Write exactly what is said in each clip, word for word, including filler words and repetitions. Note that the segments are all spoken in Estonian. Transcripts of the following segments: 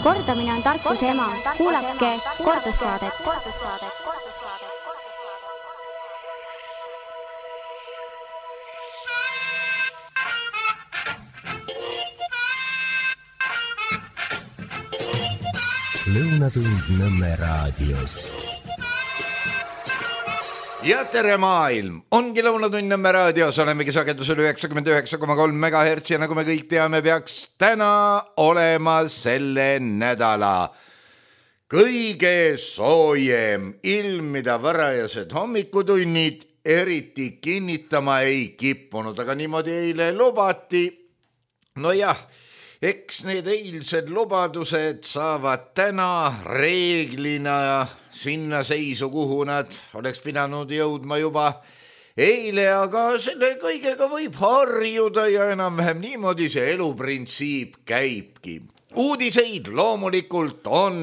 Kordamine on tarkuse ema. Kuulake kordussaadet. Lõunatund Nõmme raadios. Ja tere maailm, ongi Lõunatund Nõmme raadios, olemegi sagedusel üheksakümmend üheksa koma kolm megahertsi ja nagu me kõik teame, peaks täna olema selle nädala kõige soojem ilm, mida varajased hommikutunnid eriti kinnitama ei kippunud, aga niimoodi eile lubati. No jah, eks need eilsed lubadused saavad täna reeglina sinna seisu, kuhu nad oleks pidanud jõudma juba eile, aga selle kõigega võib harjuda ja enam-vähem niimoodi see eluprintsiip käibki. Uudiseid loomulikult on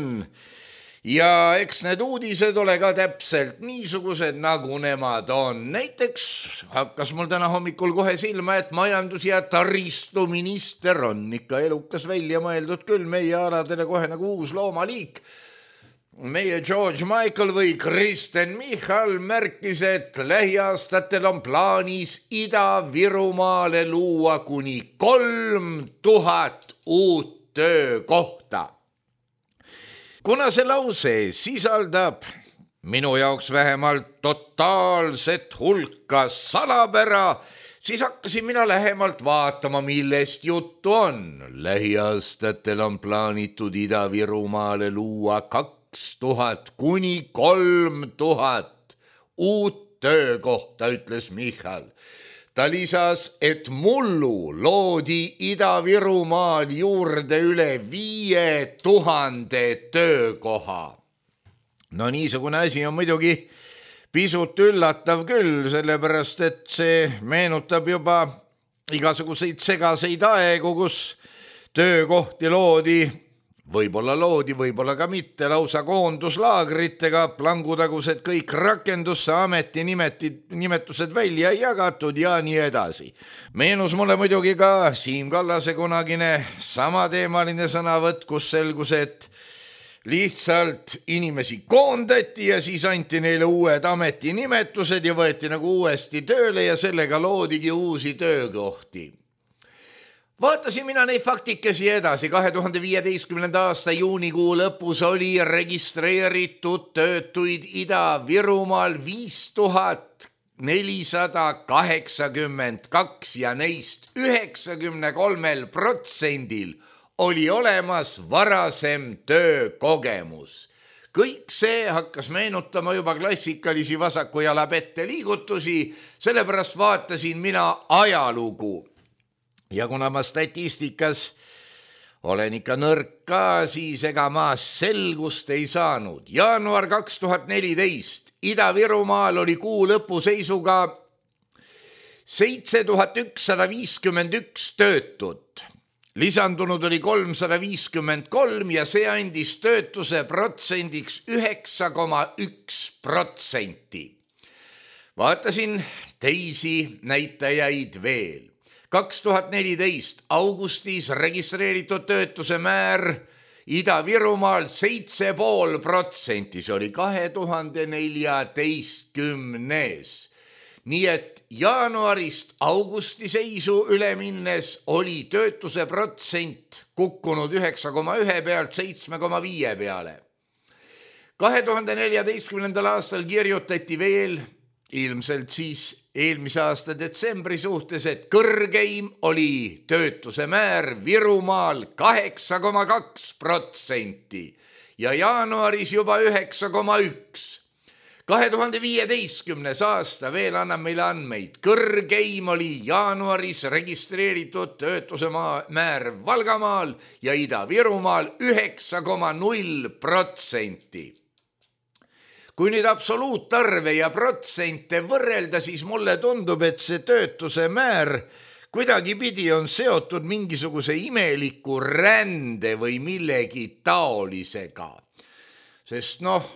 ja eks need uudised ole ka täpselt niisugused, nagu nemad on. Näiteks hakkas mul täna hommikul kohe silma, et majandus- ja taristuminister on ikka elukas välja mõeldud küll meie aladele kohe nagu uus loomaliik. Meie George Michael või Kristen Michal märkis, et lähiaastatel on plaanis Ida-Virumaale luua kuni kolm tuhat uut töökohta. Kuna see lause sisaldab minu jaoks vähemalt totaalset hulka salapära, siis hakkasin mina lähemalt vaatama, millest juttu on. Lähiaastatel on plaanitud Ida-Virumaale luua kaks tuhat kuni kolm tuhat uut töökohta, ütles Michal. Ta lisas, et mullu loodi Ida-Virumaal juurde üle viie tuhande töökoha. No niisugune asi on muidugi pisut üllatav küll, sellepärast et see meenutab juba igasuguseid segaseid aegu, kus töökohti loodi, võib-olla loodi, võib-olla ka mitte, lausa koonduslaagritega, plangutagused kõik rakendusse ameti nimeti, nimetused välja jagatud ja nii edasi. Meenus mulle muidugi ka Siim Kallase kunagine samateemaline sõnavõtt, kus selgus, et lihtsalt inimesi koondati ja siis anti neile uued ameti nimetused ja võeti nagu uuesti tööle ja sellega loodigi uusi töökohti. Vaatasin mina neid faktikesi edasi. kahe tuhande viieteistkümnenda aasta juunikuu lõpus oli registreeritud töötuid Ida-Virumaal viis tuhat nelisada kaheksakümmend kaks ja neist üheksakümmend kolm protsendil oli olemas varasem töökogemus. Kõik see hakkas meenutama juba klassikalisi vasaku jala pette liigutusi, sellepärast vaatasin mina ajalugu. Ja kuna ma statistikas olen ikka nõrk ka, siis ega ma selgust ei saanud. Jaanuar kaks tuhat neliteist Ida-Virumaal oli kuu lõpu seisuga seitse tuhat ükssada viiskümmend üks töötut. Lisandunud oli kolmsada viiskümmend kolm ja see andis töötuse protsendiks üheksa koma üks protsenti. Vaatasin teisi näitajaid veel. kaks tuhat neliteist augustis registreeritud töötuse määr Ida-Virumaal seitse pool protsenti, see oli kahe tuhande neljateistkümnes. Nii et jaanuarist augusti seisu üle minnes oli töötuse protsent kukkunud üheksa koma üks pealt seitse koma viis peale. kahe tuhande neljateistkümnendal aastal kirjutati veel, ilmselt siis eelmise aasta detsembri suhtes, et kõrgeim oli töötuse määr Virumaal kaheksa koma kaks protsenti ja jaanuaris juba üheksa koma üks. kahe tuhande viieteistkümnes aasta veel annab meile andmeid. Kõrgeim oli jaanuaris registreeritud töötuse määr Valgamaal ja Ida-Virumaal üheksa koma null protsenti. Kui nüüd absoluutarve ja protsente võrrelda, siis mulle tundub, et see töötuse määr kuidagi pidi on seotud mingisuguse imeliku rände või millegi taolisega. Sest noh,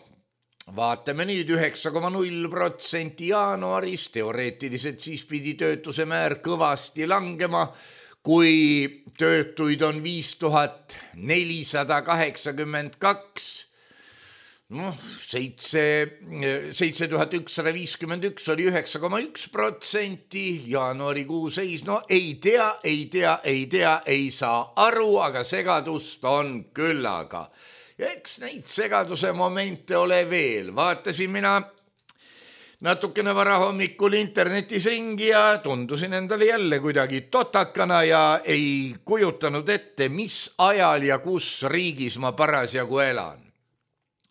vaatame nüüd üheksa koma null protsenti jaanuaris, teoreetiliselt siis pidi töötuse määr kõvasti langema, kui töötuid on viis tuhat nelisada kaheksakümmend kaks, noh, seitse, seitse tuhat ükssada viiskümmend üks oli üheksa koma üks protsenti, jaanuarikuu seis, no ei tea, ei tea, ei tea, ei saa aru, aga segadust on küllaga. Ja eks neid segaduse momente ole veel, vaatasin mina natukene vara hommikul internetis ringi ja tundusin endale jälle kuidagi totakana ja ei kujutanud ette, mis ajal ja kus riigis ma parasjagu elan.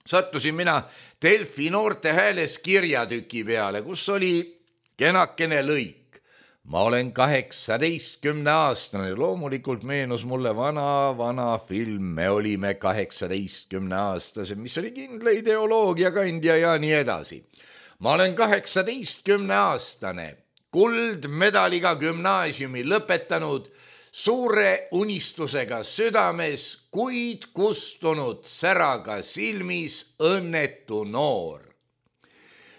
Sattusin mina Delfi noorte hääles kirjatüki peale, kus oli kenakene lõik. Ma olen kaheksateistkümne aastane, loomulikult meenus mulle vana, vana film, me olime kaheksateistkümne aastase, mis oli kindla ideoloogia kandja ja nii edasi. Ma olen kaheksateistkümne aastane, kuldmedaliga gümnaasiumi lõpetanud, suure unistusega südames, kuid kustunud säraga silmis õnnetu noor.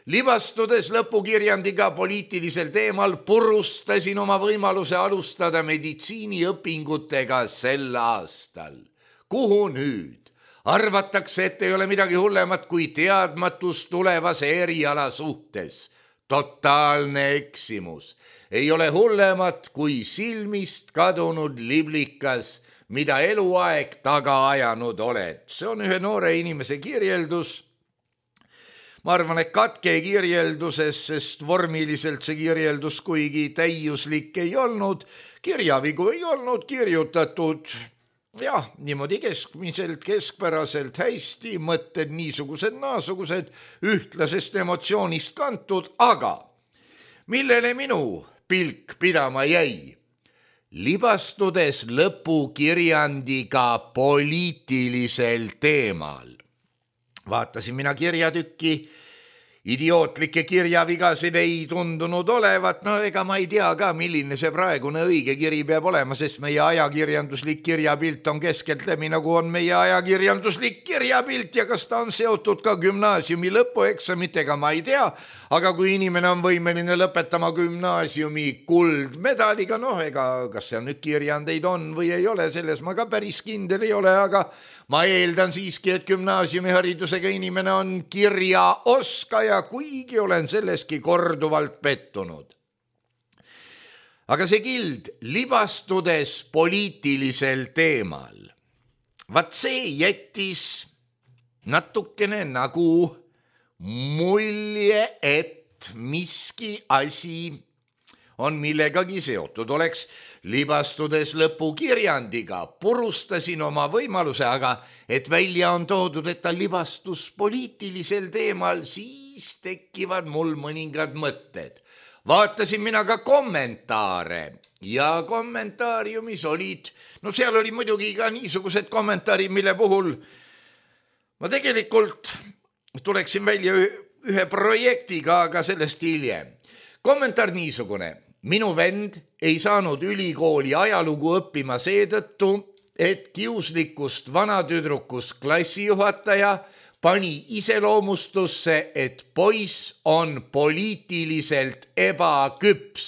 Libastudes lõpukirjandiga poliitilisel teemal purustasin oma võimaluse alustada meditsiiniõpingutega sel aastal. Kuhu nüüd? Arvatakse, et ei ole midagi hullemat kui teadmatus tulevase eriala suhtes. Totaalne eksimus. Ei ole hullemat kui silmist kadunud liblikas, mida eluaeg taga ajanud oled. See on ühe noore inimese kirjeldus. Ma arvan, et katke kirjelduses, sest vormiliselt see kirjeldus kuigi täiuslik ei olnud. Kirjavigu ei olnud kirjutatud. Jah, niimoodi keskmiselt, keskpäraselt hästi, mõtted niisugused, naasugused, ühtlasest emotsioonist kantud, aga millele minu pilk pidama jäi? Libastudes lõpukirjandiga poliitilisel teemal. Vaatasin mina kirjatükki, idiootlikke kirjavigasid ei tundunud olevat, no ega ma ei tea ka, milline see praegune õige kiri peab olema, sest meie ajakirjanduslik kirjapilt on keskeltläbi, nagu on meie ajakirjanduslik kirjapilt ja kas ta on seotud ka gümnaasiumi lõpueksamitega, ma ei tea, aga kui inimene on võimeline lõpetama gümnaasiumi kuldmedaliga, noh ega kas seal nüüd kirjandeid on või ei ole, selles ma ka päris kindel ei ole, aga ma eeldan siiski, et gümnaasiumiharidusega inimene on kirjaoskaja, kuigi olen selleski korduvalt pettunud. Aga see kild libastudes poliitilisel teemal. Vaat see jättis natukene nagu mulje, et miski asi on millegagi seotud. Oleks libastudes lõpukirjandiga, purustasin oma võimaluse, aga et välja on toodud, et ta libastus poliitilisel teemal, siis tekivad mul mõningad mõtted. Vaatasin mina ka kommentaare ja kommentaariumis olid, no seal oli muidugi ka niisugused kommentaarid, mille puhul ma tegelikult tuleksin välja ühe projektiga, aga sellest hiljem. Kommentaar niisugune. Minu vend ei saanud ülikooli ajalugu õppima seetõttu, et kiuslikust vanatüdrukust klassijuhataja pani iseloomustusse, et poiss on poliitiliselt ebaküps.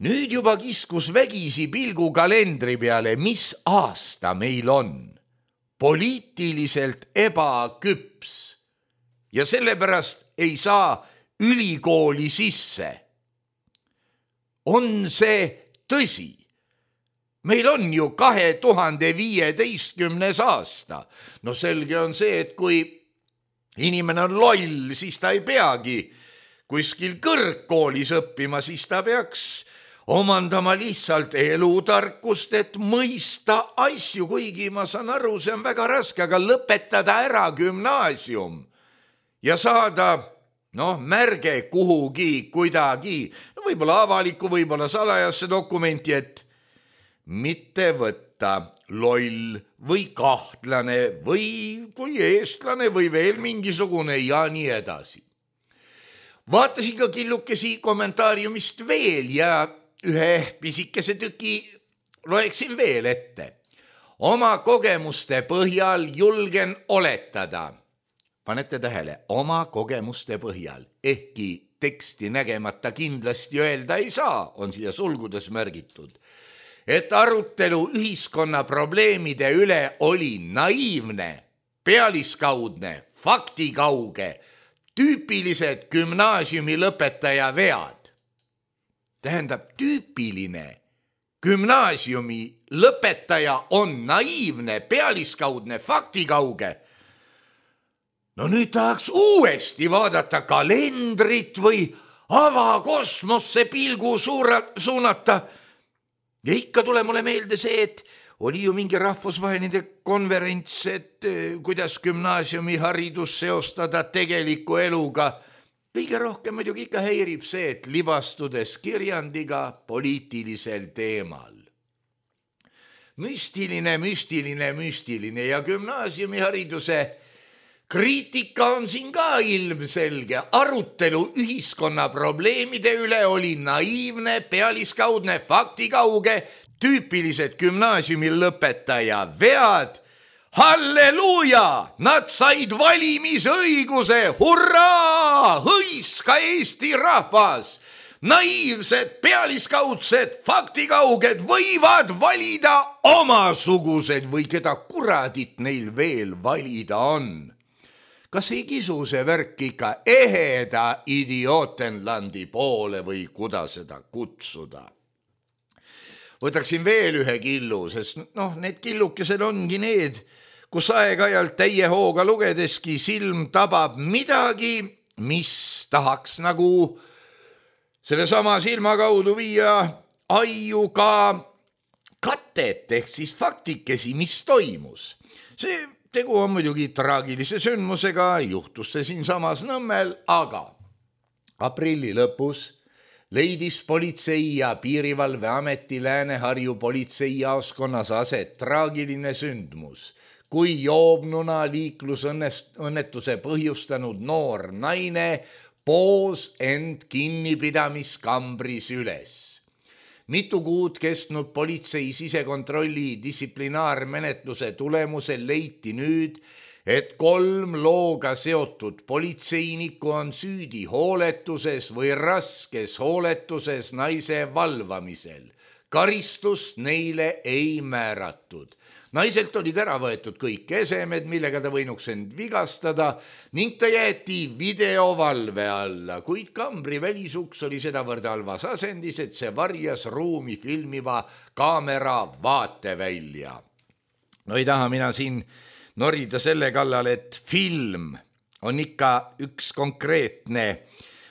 Nüüd juba kiskus vägisi pilgu kalendri peale, mis aasta meil on. Poliitiliselt ebaküps. Ja sellepärast ei saa ülikooli sisse. On see tõsi? Meil on ju kahe tuhande viieteistkümnes aasta. No selge on see, et kui inimene on loll, siis ta ei peagi kuskil kõrgkoolis õppima, siis ta peaks omandama lihtsalt elutarkust, et mõista asju, kuigi ma saan aru, see on väga raske, aga lõpetada ära gümnaasium ja saada noh, märge kuhugi, kuidagi, no võib-olla avaliku, võib-olla salajasse dokumenti, et mitte võtta loll või kahtlane või kui eestlane või veel mingisugune ja nii edasi. Vaatasin ka killukesi kommentaariumist veel ja ühe pisikese tüki loeksin veel ette. Oma kogemuste põhjal julgen oletada. Panete tähele, oma kogemuste põhjal, ehkki teksti nägemata kindlasti öelda ei saa, on siia sulgudes märgitud, et arutelu ühiskonna probleemide üle oli naiivne, pealiskaudne, faktikauge, tüüpilised gümnaasiumi lõpetaja vead. Tähendab, tüüpiline gümnaasiumi lõpetaja on naiivne, pealiskaudne, faktikauge. No nüüd tahaks uuesti vaadata kalendrit või avakosmosse pilgu suura, suunata. Ja ikka tule mulle meelde see, et oli ju mingi rahvusvaheline konverents, et kuidas gümnaasiumi haridus seostada tegeliku eluga. Kõige rohkem muidugi ikka häirib see, et libastudes kirjandiga poliitilisel teemal. Müstiline, müstiline, müstiline ja gümnaasiumi hariduse kriitika on siin ka ilmselge. Arutelu ühiskonna probleemide üle oli naiivne, pealiskaudne, faktikauge, tüüpilised gümnaasiumi lõpetaja vead. Halleluuja! Nad said valimisõiguse! Hurraa! Hõiska Eesti rahvas! Naiivsed, pealiskaudsed, faktikauged võivad valida omasugused või keda kuradit neil veel valida on. Kas ei kisu see värk ikka eheda idiootenlandi poole või kuda seda kutsuda? Võtaksin veel ühe killu, sest noh, need killukesed ongi need, kus aeg-ajalt täie hooga lugedeski silm tabab midagi, mis tahaks nagu selle sama silma kaudu viia aiu ka katet ehk siis faktikesi, mis toimus. See tegu on muidugi traagilise sündmusega, juhtus see siin samas Nõmmel, aga aprilli lõpus leidis politsei ja piirivalveameti Lääne-Harju politseijaoskonnas aset traagiline sündmus, kui joobnuna liiklusõnnetuse põhjustanud noor naine poos end kinnipidamiskambris üles. Mitu kuud kestnud politsei sisekontrolli distsiplinaarmenetluse tulemusel leiti nüüd, et kolm looga seotud politseinikku on süüdi hooletuses või raskes hooletuses naise valvamisel. Karistust neile ei määratud. Naiselt olid ära võetud kõik esemed, millega ta võinuks end vigastada ning ta jäeti videovalve alla, kuid kambri välisuks oli sedavõrd halvas asendis, et see varjas ruumi filmiva kaamera vaatevälja. No ei taha mina siin norida selle kallal, et film on ikka üks konkreetne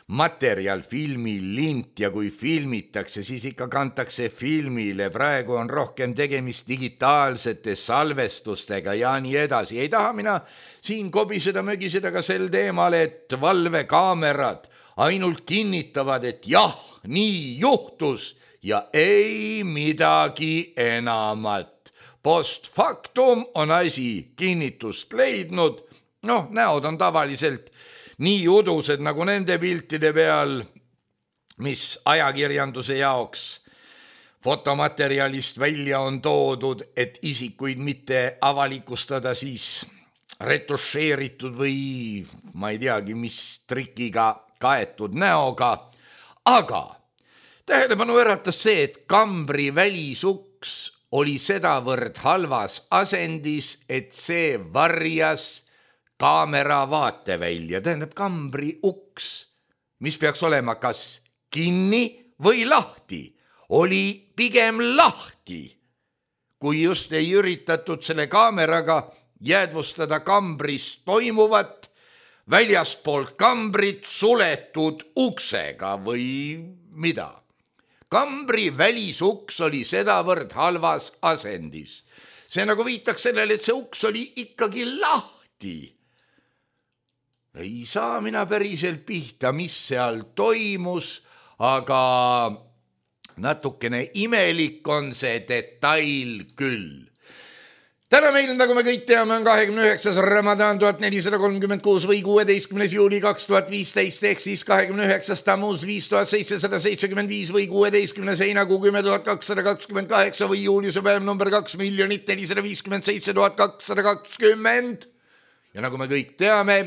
materjal, filmi lint ja kui filmitakse, siis ikka kantakse filmile. Praegu on rohkem tegemist digitaalsete salvestustega ja nii edasi. Ei taha mina siin kobiseda, mögiseda ka sel teemal, et valvekaamerad ainult kinnitavad, et jah, nii juhtus ja ei midagi enamat. Post factum on asi kinnitust leidnud. Noh, näod on tavaliselt nii udused nagu nende piltide peal, mis ajakirjanduse jaoks fotomaterjalist välja on toodud, et isikuid mitte avalikustada siis retušeeritud või ma ei teagi, mis trikiga kaetud näoga. Aga tähelepanu äratas see, et kambri välisuks oli sedavõrd halvas asendis, et see varjas kaamera vaatevälja, tähendab kambri uks, mis peaks olema kas kinni või lahti, oli pigem lahti, kui just ei üritatud selle kaameraga jäädvustada kambris toimuvat väljaspoolt kambrit suletud uksega või mida. Kambri välisuks oli sedavõrd halvas asendis. See nagu viitaks sellele, et see uks oli ikkagi lahti. Ei saa mina päriselt pihta, mis seal toimus, aga natukene imelik on see detail küll. Täna meil, nagu me kõik teame, on kahekümne üheksas Ramadan tuhat nelisada kolmkümmend kuus või kuueteistkümnes juuli kaks tuhat viisteist ehk siis kahekümne üheksas Tammuz viis tuhat seitsesada seitsekümmend viis või kuueteistkümnes heinakuu kümme tuhat kakssada kakskümmend kaheksa või juuliuse päev number kaks miljonit nelisada viiskümmend seitse tuhat kakssada kakskümmend. Ja nagu me kõik teame,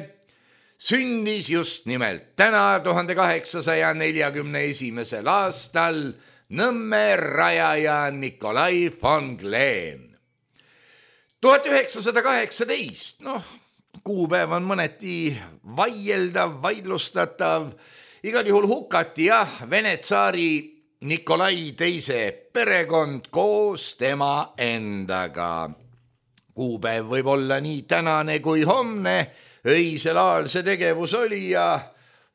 sündis just nimelt täna tuhande kaheksasaja neljakümne esimesel aastal Nõmme rajaja Nikolai von Glen. tuhat üheksasada kaheksateist, noh, kuupäev on mõneti vaieldav, vaidlustatav, igal juhul hukati jah, Vene tsaari Nikolai teise perekond koos tema endaga. Kuupäev võib olla nii tänane kui homne, öisel ajal see tegevus oli ja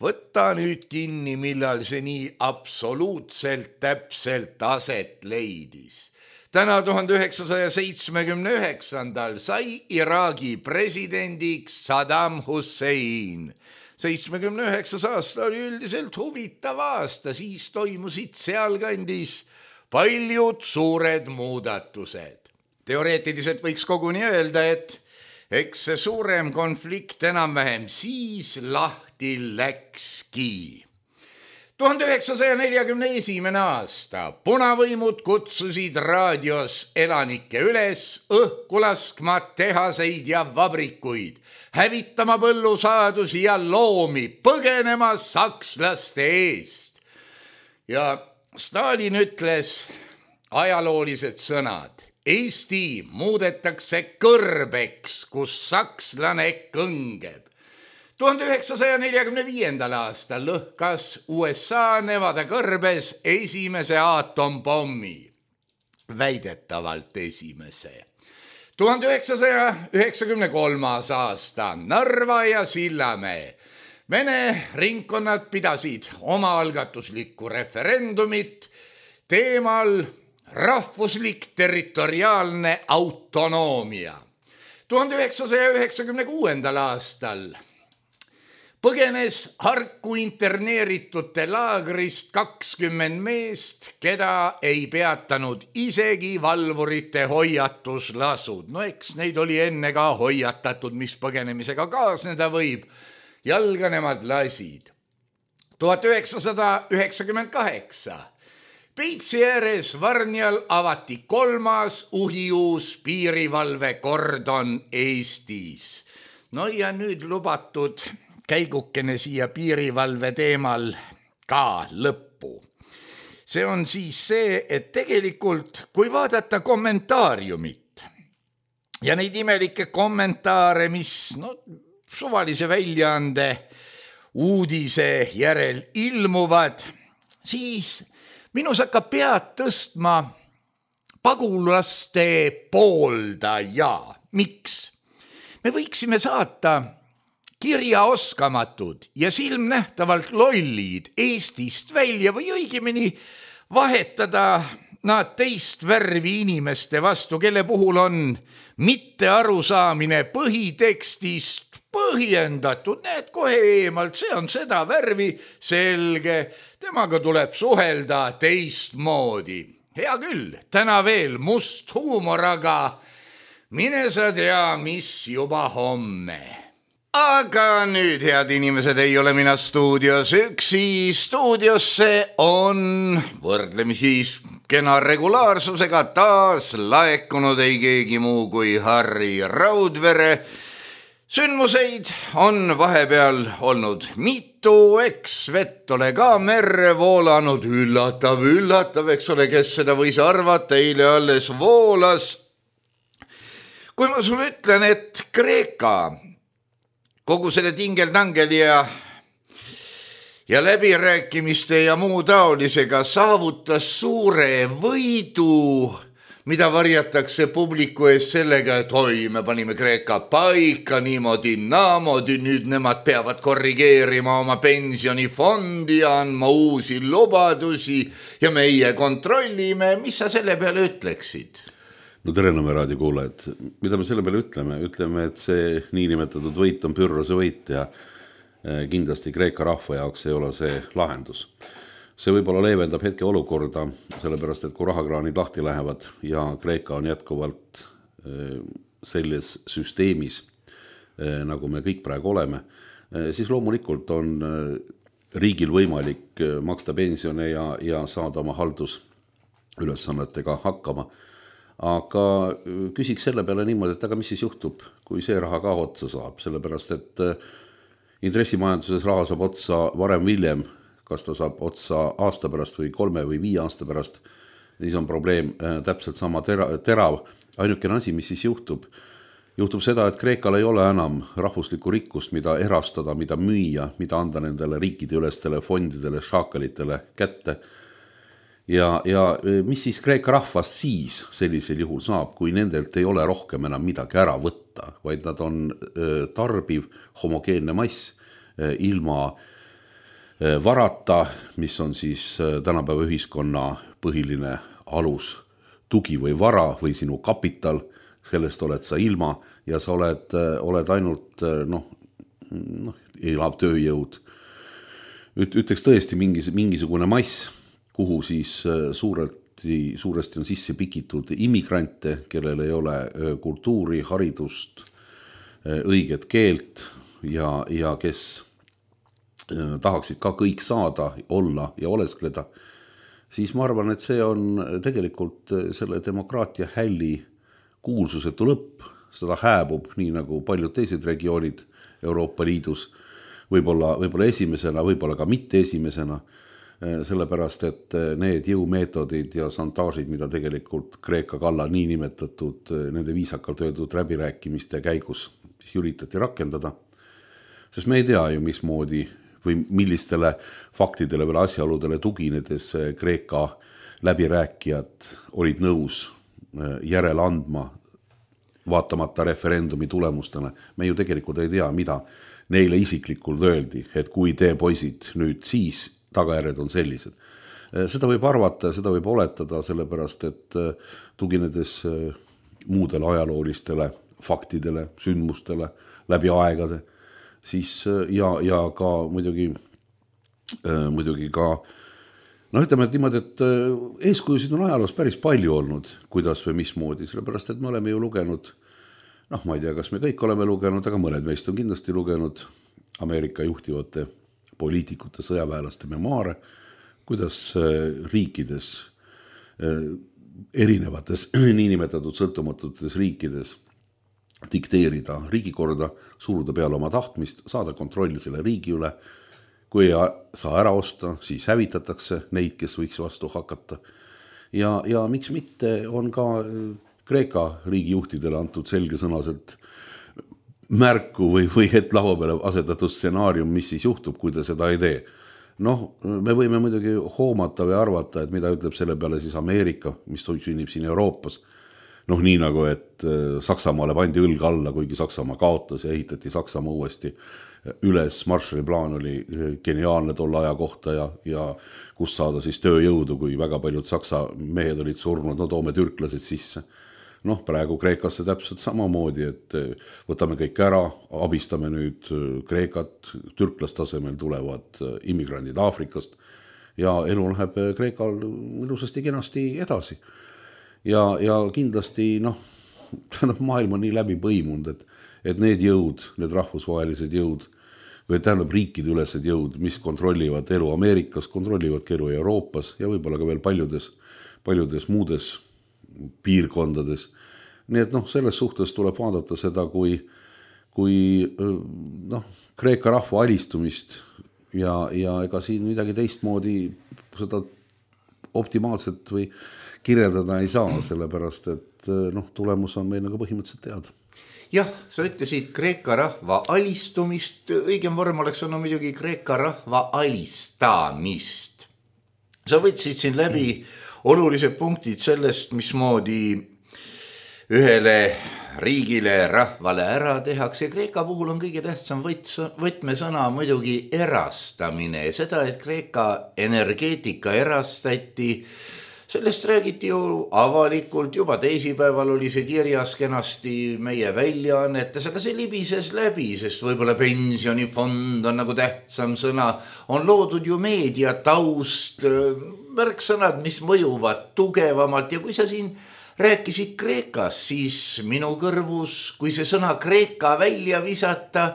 võtta nüüd kinni, millal see nii absoluutselt täpselt aset leidis. Täna tuhande üheksasaja seitsmekümne üheksandal sai Iraagi presidendiks Saddam Hussein. seitsmekümne üheksas aasta oli üldiselt huvitav aasta, siis toimusid sealkandis paljud suured muudatused. Teoreetiliselt võiks koguni öelda, et eks see suurem konflikt enam-vähem siis lahti läkski. tuhande üheksasaja neljakümne esimene aasta punavõimud kutsusid raadios elanikke üles õhku laskma tehaseid ja vabrikuid, hävitama põllusaadusi ja loomi, põgenema sakslaste eest. Ja Stalin ütles ajaloolised sõnad. Eesti muudetakse kõrbeks, kus sakslane kõngeb. tuhande üheksasaja neljakümne viiendal aastal lõhkas U S A Nevada kõrbes esimese aatompommi. Väidetavalt esimese. tuhande üheksasaja üheksakümne kolmas aasta Narva ja Sillamäe. Vene ringkonnad pidasid omaalgatuslikku referendumit teemal rahvuslik territoriaalne autonoomia. tuhande üheksasaja üheksakümne kuuendal aastal põgenes Harku interneeritute laagrist kakskümmend meest, keda ei peatanud isegi valvurite hoiatuslasud. No eks neid oli enne ka hoiatatud, mis põgenemisega kaasneda võib. Jalga nemad lasid. tuhat üheksasada üheksakümmend kaheksa Peipsi ääres Varnjal avati kolmas uhiuus piirivalvekordon Eestis. No ja nüüd lubatud käigukene siia piirivalve teemal ka lõppu. See on siis see, et tegelikult kui vaadata kommentaariumit ja neid imelikke kommentaare, mis no, suvalise väljaande uudise järel ilmuvad, siis minus hakkab pead tõstma pagulaste pooldaja. Miks? Me võiksime saata kirjaoskamatud ja silmnähtavalt lollid Eestist välja või õigemini vahetada nad teist värvi inimeste vastu, kelle puhul on mitte arusaamine põhitekstist põhjendatud. Need kohe eemalt, see on seda värvi, selge, temaga tuleb suhelda teistmoodi. Hea küll, täna veel must huumor, aga mine sa tea, mis juba homme. Aga nüüd, head inimesed, ei ole mina stuudios üksi. Stuudiosse on võrdlemisi kena regulaarsusega taas laekunud ei keegi muu kui Harri Raudvere. Sündmuseid on vahepeal olnud mitu, eks vett ole ka merre voolanud, üllatav, üllatav, eks ole, kes seda võis arvata, eile alles voolas. Kui ma sulle ütlen, et Kreeka kogu selle tingeldangeli ja, ja läbirääkimiste ja muu taolisega saavutas suure võidu, mida varjatakse publiku ees sellega, et oi, me panime Kreeka paika niimoodi, naamodi, nüüd nemad peavad korrigeerima oma pensionifondi ja andma uusi lubadusi ja meie kontrollime. Mis sa selle peale ütleksid? No tere Nõmme raadio kuulajad. Mida me selle peale ütleme? Ütleme, et see niinimetatud võit on pürrose võit ja kindlasti Kreeka rahva jaoks ei ole see lahendus. See võib-olla leevendab hetke olukorda, sellepärast, et kui rahakraanid lahti lähevad ja Kreeka on jätkuvalt selles süsteemis, nagu me kõik praegu oleme, siis loomulikult on riigil võimalik maksta pensione ja, ja saada oma haldusülesannetega hakkama. Aga küsiks selle peale niimoodi, et aga mis siis juhtub, kui see raha ka otsa saab, sellepärast, et intressimajanduses raha saab otsa varem viljem, kas ta saab otsa aasta pärast või kolme või viie aasta pärast, siis on probleem täpselt sama tera, terav. Ainukene asi, mis siis juhtub, juhtub seda, et Kreekal ei ole enam rahvuslikku rikkust, mida erastada, mida müüa, mida anda nendele riikide ülestele fondidele, šaakalitele kätte. Ja, ja mis siis Kreeka rahvast siis sellisel juhul saab, kui nendelt ei ole rohkem enam midagi ära võtta, vaid nad on tarbiv homogeenne mass ilma varata, mis on siis tänapäeva ühiskonna põhiline alus, tugi või vara või sinu kapital, sellest oled sa ilma ja sa oled, oled ainult noh, noh, elab tööjõud. Ütleks tõesti mingis, mingisugune mass, kuhu siis suuresti, suuresti on sisse pikitud immigrante, kellel ei ole kultuuri, haridust, õiget keelt ja, ja kes tahaksid ka kõik saada, olla ja oleskleda, siis ma arvan, et see on tegelikult selle demokraatia hälli kuulsusetu lõpp. Seda hääbub nii nagu paljud teised regioonid Euroopa Liidus, võib-olla, võib-olla esimesena, võib-olla ka mitte esimesena, sellepärast, et need jõumeetodid ja santaažid, mida tegelikult Kreeka kalla nii nimetatud nende viisakalt öeldud läbirääkimiste käigus siis üritati rakendada, sest me ei tea ju, mismoodi või millistele faktidele või asjaoludele tuginedes Kreeka läbirääkijad olid nõus järele andma vaatamata referendumi tulemustele. Me ju tegelikult ei tea, mida neile isiklikult öeldi, et kui te poisid nüüd siis tagajärjed on sellised. Seda võib arvata, seda võib oletada, sellepärast, et tuginedes muudele ajaloolistele faktidele, sündmustele läbi aegade, siis ja, ja ka muidugi, muidugi ka, no ütleme, et niimoodi, et eeskujusid on ajaloos päris palju olnud, kuidas või mismoodi, sellepärast, et me oleme ju lugenud, noh, ma ei tea, kas me kõik oleme lugenud, aga mõned meist on kindlasti lugenud Ameerika juhtivate poliitikute, sõjaväelaste memoare, kuidas riikides, erinevates niinimetatud sõltumatutes riikides dikteerida riigikorda, suruda peale oma tahtmist, saada kontrolli selle riigi üle. Kui ei saa ära osta, siis hävitatakse neid, kes võiks vastu hakata. Ja, ja miks mitte on ka Kreeka riigijuhtidele antud selgesõnaselt märku või, või et laua peale asetatud stsenaarium, mis siis juhtub, kui ta seda ei tee. Noh, me võime muidugi hoomata või arvata, et mida ütleb selle peale siis Ameerika, mis sünnib siin Euroopas. Noh, nii nagu, et Saksamaale pandi õlg alla, kuigi Saksamaa kaotas ja ehitati Saksamaa uuesti üles. Marshalli plaan oli geniaalne tolle aja kohta ja, ja kus saada siis tööjõudu, kui väga paljud Saksa mehed olid surnud, no toome türklased sisse. Noh, praegu Kreekasse täpselt samamoodi, et võtame kõik ära, abistame nüüd Kreekat, türklastasemel tulevad immigrandid Aafrikast ja elu läheb Kreekal ilusasti kenasti edasi. Ja, ja kindlasti, noh, tähendab maailm on nii läbi põimunud, et, et need jõud, need rahvusvahelised jõud, või tähendab riikide ülesed jõud, mis kontrollivad elu Ameerikas, kontrollivad elu Euroopas ja võib-olla ka veel paljudes, paljudes muudes piirkondades. Nii et noh, selles suhtes tuleb vaadata seda, kui, kui noh, Kreeka rahva alistumist ja, ja ega siin midagi teistmoodi seda optimaalselt või kirjeldada ei saa, sellepärast, et noh, tulemus on meil nagu põhimõtteliselt teada. Jah, sa ütlesid Kreeka rahva alistumist, õigem vorm oleks on muidugi Kreeka rahva alistamist. Sa võtsid siin läbi olulised punktid sellest, mismoodi ühele riigile, rahvale ära tehakse. Kreeka puhul on kõige tähtsam võtmesõna muidugi erastamine. Seda, et Kreeka energeetika erastati, sellest räägiti ju avalikult, juba teisipäeval oli see kirjas kenasti meie väljaannetes, aga see libises läbi, sest võib-olla pensionifond on nagu tähtsam sõna, on loodud ju meedia taust, märksõnad, mis mõjuvad tugevamalt ja kui sa siin rääkisid Kreekas, siis minu kõrvus, kui see sõna Kreeka välja visata,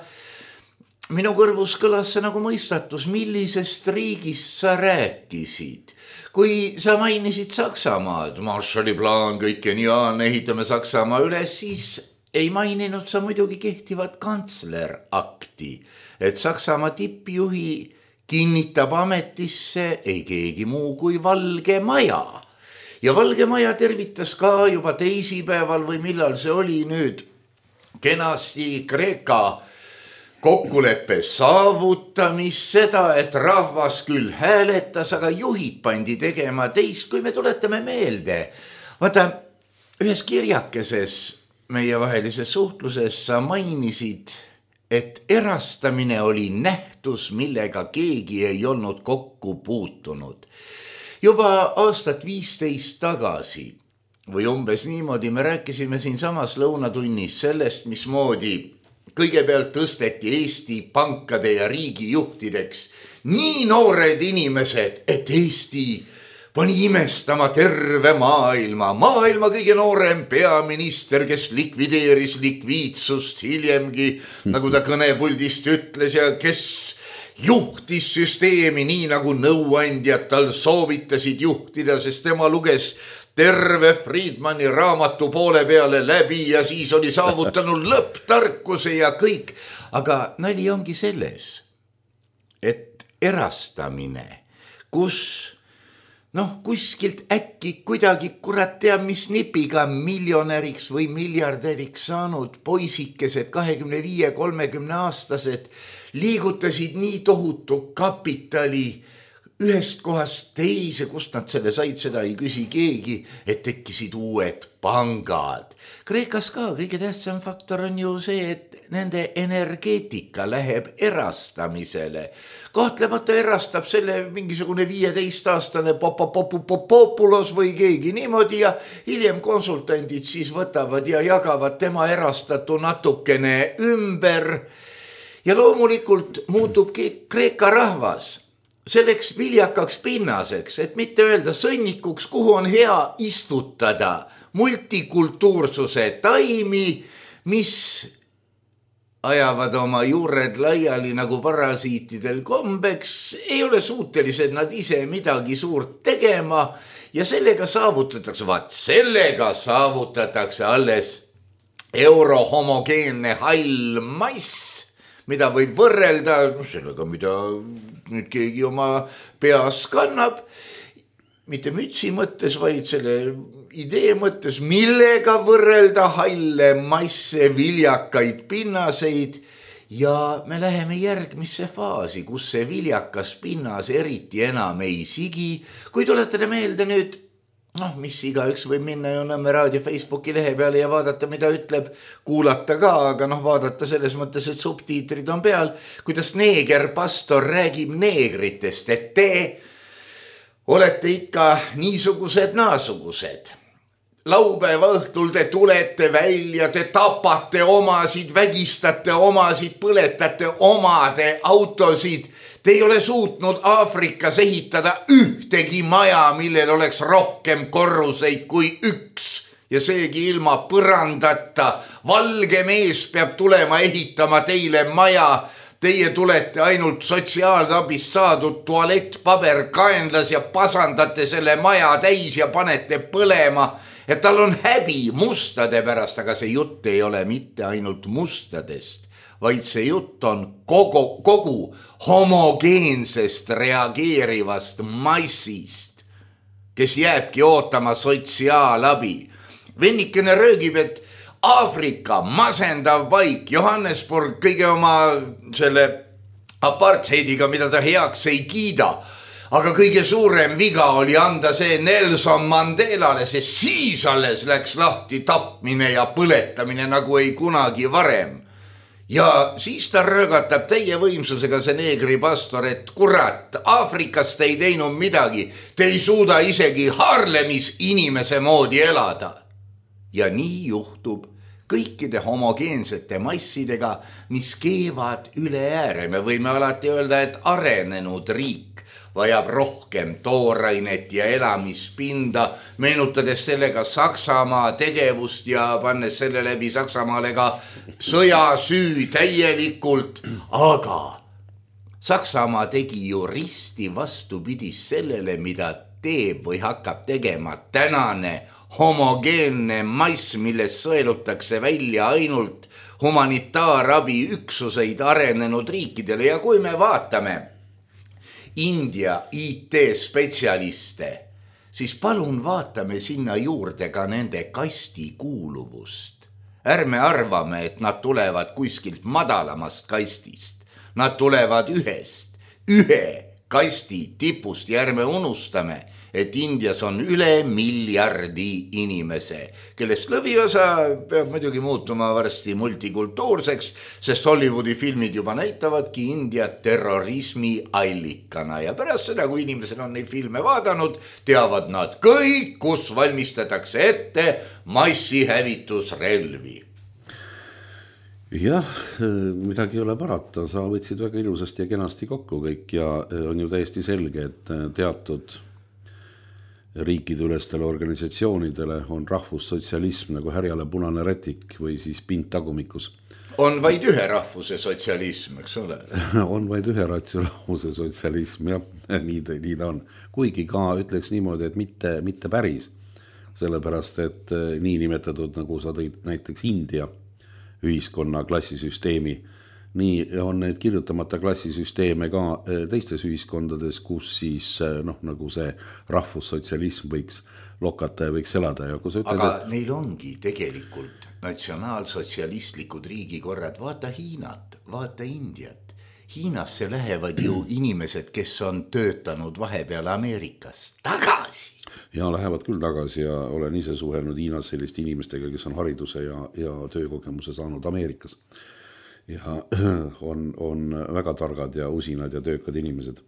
minu kõrvus kõlas see nagu mõistatus, millisest riigist sa rääkisid. Kui sa mainisid Saksamaad, Marshalli plaan, kõik geniaalne, ehitame Saksamaa üles, siis ei maininud sa muidugi kehtivat kantslerakti, et Saksamaa tippjuhi kinnitab ametisse ei keegi muu kui Valge Maja. Ja Valge Maja tervitas ka juba teisipäeval või millal see oli nüüd kenasti Kreeka kokkuleppe saavutamist, seda, et rahvas küll hääletas, aga juhid pandi tegema teist, kui me tuletame meelde. Vaata, ühes kirjakeses meievahelises suhtluses sa mainisid, et erastamine oli nähtus, millega keegi ei olnud kokku puutunud. Juba aastat viisteist tagasi või umbes niimoodi me rääkisime siin samas lõunatunnis sellest, mismoodi kõigepealt tõsteti Eesti pankade ja riigijuhtideks nii noored inimesed, et Eesti pani imestama terve maailma. Maailma kõige noorem peaminister, kes likvideeris likviidsust hiljemgi, nagu ta kõnepuldist ütles, ja kes juhtis süsteemi nii nagu nõuandjad tal soovitasid juhtida, sest tema luges terve Friedmani raamatu poole peale läbi ja siis oli saavutanud lõpptarkuse ja kõik. Aga nali ongi selles, et erastamine, kus noh, kuskilt äkki kuidagi kurat teab mis nipiga miljonäriks või miljardäriks saanud poisikesed, kahekümne viie kolmekümne aastased, liigutasid nii tohutu kapitali ühest kohast teise, kust nad selle said, seda ei küsi keegi, et tekkisid uued pangad. Kreekas ka kõige tähtsam faktor on ju see, et nende energeetika läheb erastamisele. Kahtlemata erastab selle mingisugune viieteistaastane populos või keegi niimoodi ja hiljem konsultandid siis võtavad ja jagavad tema erastatu natukene ümber. Ja loomulikult muutub Kreeka rahvas selleks viljakaks pinnaseks, et mitte öelda sõnnikuks, kuhu on hea istutada multikultuursuse taimi, mis ajavad oma juured laiali nagu parasiitidel kombeks, ei ole suutelised nad ise midagi suurt tegema ja sellega saavutatakse, vaat sellega saavutatakse alles eurohomogeenne hall mass, mida võib võrrelda sellega, mida nüüd keegi oma peas kannab, mitte mütsi mõttes, vaid selle idee mõttes, millega võrrelda halle masse, viljakaid pinnaseid ja me läheme järgmisse faasi, kus see viljakas pinnas eriti enam ei sigi. Kui tuletada meelde nüüd, noh, mis igaüks võib minna ju Nõmme raadio Facebooki lehe peale ja vaadata, mida ütleb, kuulata ka, aga noh, vaadata selles mõttes, et subtiitrid on peal, kuidas neegerpastor räägib neegritest, et te olete ikka niisugused naasugused. Laupäeva õhtul te tulete välja, te tapate omasid, vägistate omasid, põletate omade autosid. Te ei ole suutnud Aafrikas ehitada ühtegi maja, millel oleks rohkem korruseid kui üks ja seegi ilma põrandata. Valge mees peab tulema ehitama teile maja. Teie tulete ainult sotsiaalabist saadud tualettpaber kaenlas ja pasandate selle maja täis ja panete põlema. Et tal on häbi mustade pärast, aga see jutt ei ole mitte ainult mustadest, vaid see jutt on kogu, kogu homogeensest reageerivast massist, kes jääbki ootama sotsiaalabi. Vennikene röögib, et Aafrika masendav paik, Johannesburg kõige oma selle apartheidiga, mida ta heaks ei kiida, aga kõige suurem viga oli anda see Nelson Mandelale, see siis alles läks lahti tapmine ja põletamine nagu ei kunagi varem. Ja siis ta röögatab teie võimsusega see neegripastor, et kurat, Aafrikas te ei teinud midagi, te ei suuda isegi Harlemis inimese moodi elada. Ja nii juhtub kõikide homogeensete massidega, mis keevad üle ääre. Me võime alati öelda, et arenenud riik vajab rohkem toorainet ja elamispinda, meenutades sellega Saksamaa tegevust ja pannes selle läbi Saksamaale ka sõjasüü täielikult. Aga Saksamaa tegi ju risti vastupidis sellele, mida teeb või hakkab tegema tänane homogeenne mass, milles sõelutakse välja ainult humanitaarabi üksuseid arenenud riikidele. Ja kui me vaatame India I T-spetsialiste, siis palun vaatame sinna juurde ka nende kasti kuuluvust. Ärme arvame, et nad tulevad kuskilt madalamast kastist. Nad tulevad ühest, ühe kasti tipust ja ärme unustame, et Indias on üle miljardi inimese, kellest lõviosa peab muidugi muutuma varsti multikultuurseks, sest Hollywoodi filmid juba näitavadki Indiat terrorismi allikana ja pärast seda, kui inimesed on neid filme vaadanud, teavad nad kõik, kus valmistatakse ette massihävitusrelvi. Jah, midagi ei ole parata, sa võtsid väga ilusasti ja kenasti kokku kõik ja on ju täiesti selge, et teatud riikideülestele organisatsioonidele on rahvussotsialism nagu härjale punane rätik või siis pind tagumikus. On vaid ühe rahvuse sotsialism, eks ole? On vaid ühe rahvuse sotsialism, jah, nii ta, nii ta on. Kuigi ka ütleks niimoodi, et mitte, mitte päris, sellepärast, et nii nimetatud, nagu sa tõid näiteks India ühiskonna klassisüsteemi, nii on need kirjutamata klassisüsteeme ka teistes ühiskondades, kus siis noh, nagu see rahvussotsialism võiks lokata ja võiks elada. Ja kui sa ütled, aga et... neil ongi tegelikult natsionaalsotsialistlikud riigikorrad, vaata Hiinat, vaata Indiat. Hiinasse lähevad ju inimesed, kes on töötanud vahepeal Ameerikas tagasi. Ja lähevad küll tagasi ja olen ise suhelnud Hiinas selliste inimestega, kes on hariduse ja, ja töökogemuse saanud Ameerikas. Ja on, on väga targad ja usinad ja töökad inimesed,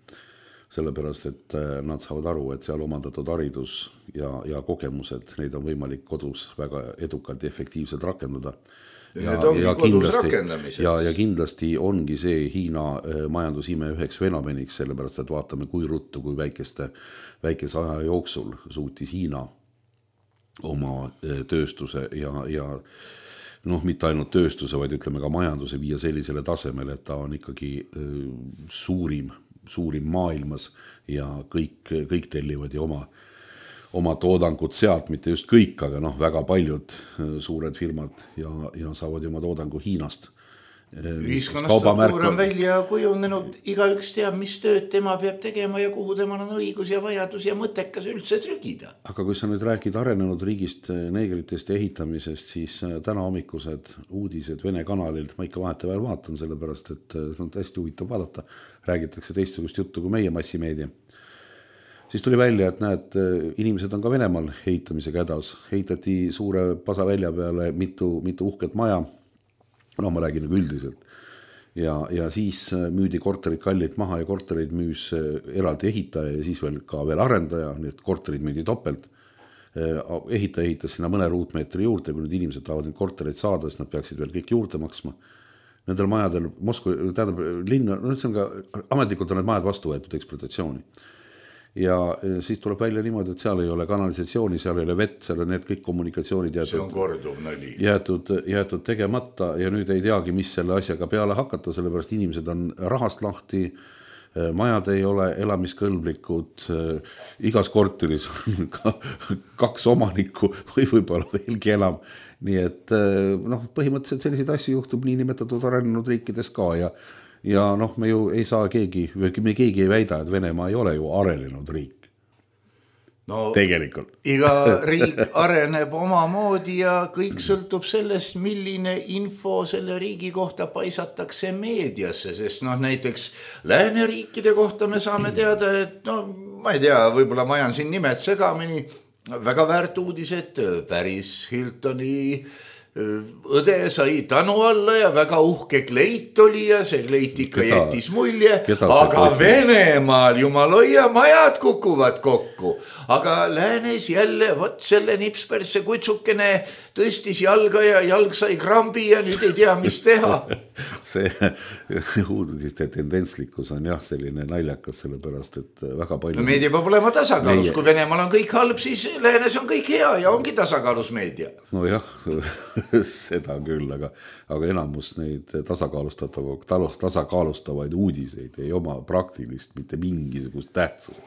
sellepärast, et nad saavad aru, et seal omandatud haridus ja, ja kogemused, neid on võimalik kodus väga edukalt ja efektiivselt rakendada. Ja, ja, kindlasti, ja, ja kindlasti ongi see Hiina majandusime üheks fenomeniks, sellepärast, et vaatame, kui ruttu, kui väikeste, väikese aja jooksul suutis Hiina oma tööstuse ja, ja noh, mitte ainult tööstuse, vaid ütleme ka majanduse viia sellisele tasemele, et ta on ikkagi suurim, suurim maailmas ja kõik, kõik tellivad ja oma, oma toodangut sealt, mitte just kõik, aga noh, väga paljud suured firmad ja, ja saavad oma toodangu Hiinast. Ühiskonnast struktuur on välja kujunenud, igaüks teab, mis tööd tema peab tegema ja kuhu temal on õigus ja vajadus ja mõttekas üldse trügida. Aga kui sa nüüd räägid arenenud riigist, neegritest ja ehitamisest, siis täna hommikused uudised Vene kanalil, ma ikka vaheteväel vaatan, sellepärast, et see on hästi huvitav vaadata, räägitakse teistsugust juttu kui meie massimeedia. Siis tuli välja, et näed, inimesed on ka Venemaal ehitamisega hädas, ehitati suure pasa välja peale mitu, mitu uhket maja, no ma räägin nagu üldiselt. Ja, ja siis müüdi korterid kallilt maha ja korterid müüs eraldi ehitaja ja siis veel ka veel arendaja, need korterid müüdi topelt. Ehitaja ehitas sinna mõne ruutmeetri juurde, kui nüüd inimesed tahavad neid korterid saada, siis nad peaksid veel kõik juurde maksma. Nendel majadel, Moskva, tähendab, linn, no see on ka, ametlikult on need majad vastu võetud ekspluatatsiooni. Ja siis tuleb välja niimoodi, et seal ei ole kanalisatsiooni, seal ei ole vett, seal on need kõik kommunikatsioonid jäetud, see on korduv nali. Jäetud, jäetud tegemata ja nüüd ei teagi, mis selle asjaga peale hakata, sellepärast inimesed on rahast lahti, majad ei ole elamiskõlblikud, igas korteris on ka kaks omanikku või võib-olla veelgi enam. Nii et noh, põhimõtteliselt selliseid asju juhtub nii nimetatud arenenud riikides ka ja Ja noh, me ju ei saa keegi, me keegi ei väida, et Venemaa ei ole ju arenenud riik. No, tegelikult. Iga riik areneb omamoodi ja kõik sõltub sellest, milline info selle riigi kohta paisatakse meediasse, sest noh, näiteks lääneriikide kohta me saame teada, et no, ma ei tea, võib-olla ma ajan siin nimed segamini, väga väärt uudised, Paris Hiltoni õde sai tanu alla ja väga uhke kleit oli ja see kleit ikka keda, jättis mulje, aga Venemaal jumaloia majad kukuvad kokku, aga läänes jälle võt selle nipspersse kutsukene tõstis jalga ja jalg sai krambi ja nüüd ei tea, mis teha. See uudiste tendentslikkus on jah selline naljakas, sellepärast, et väga palju... No meedia peab olema tasakaalus, meie... kui Venemaal on kõik halb, siis läänes on kõik hea ja ongi tasakaalus meedia. No jah, seda küll, aga, aga enamus neid tasakaalustavaid uudised ei oma praktilist, mitte mingisugust tähtsust.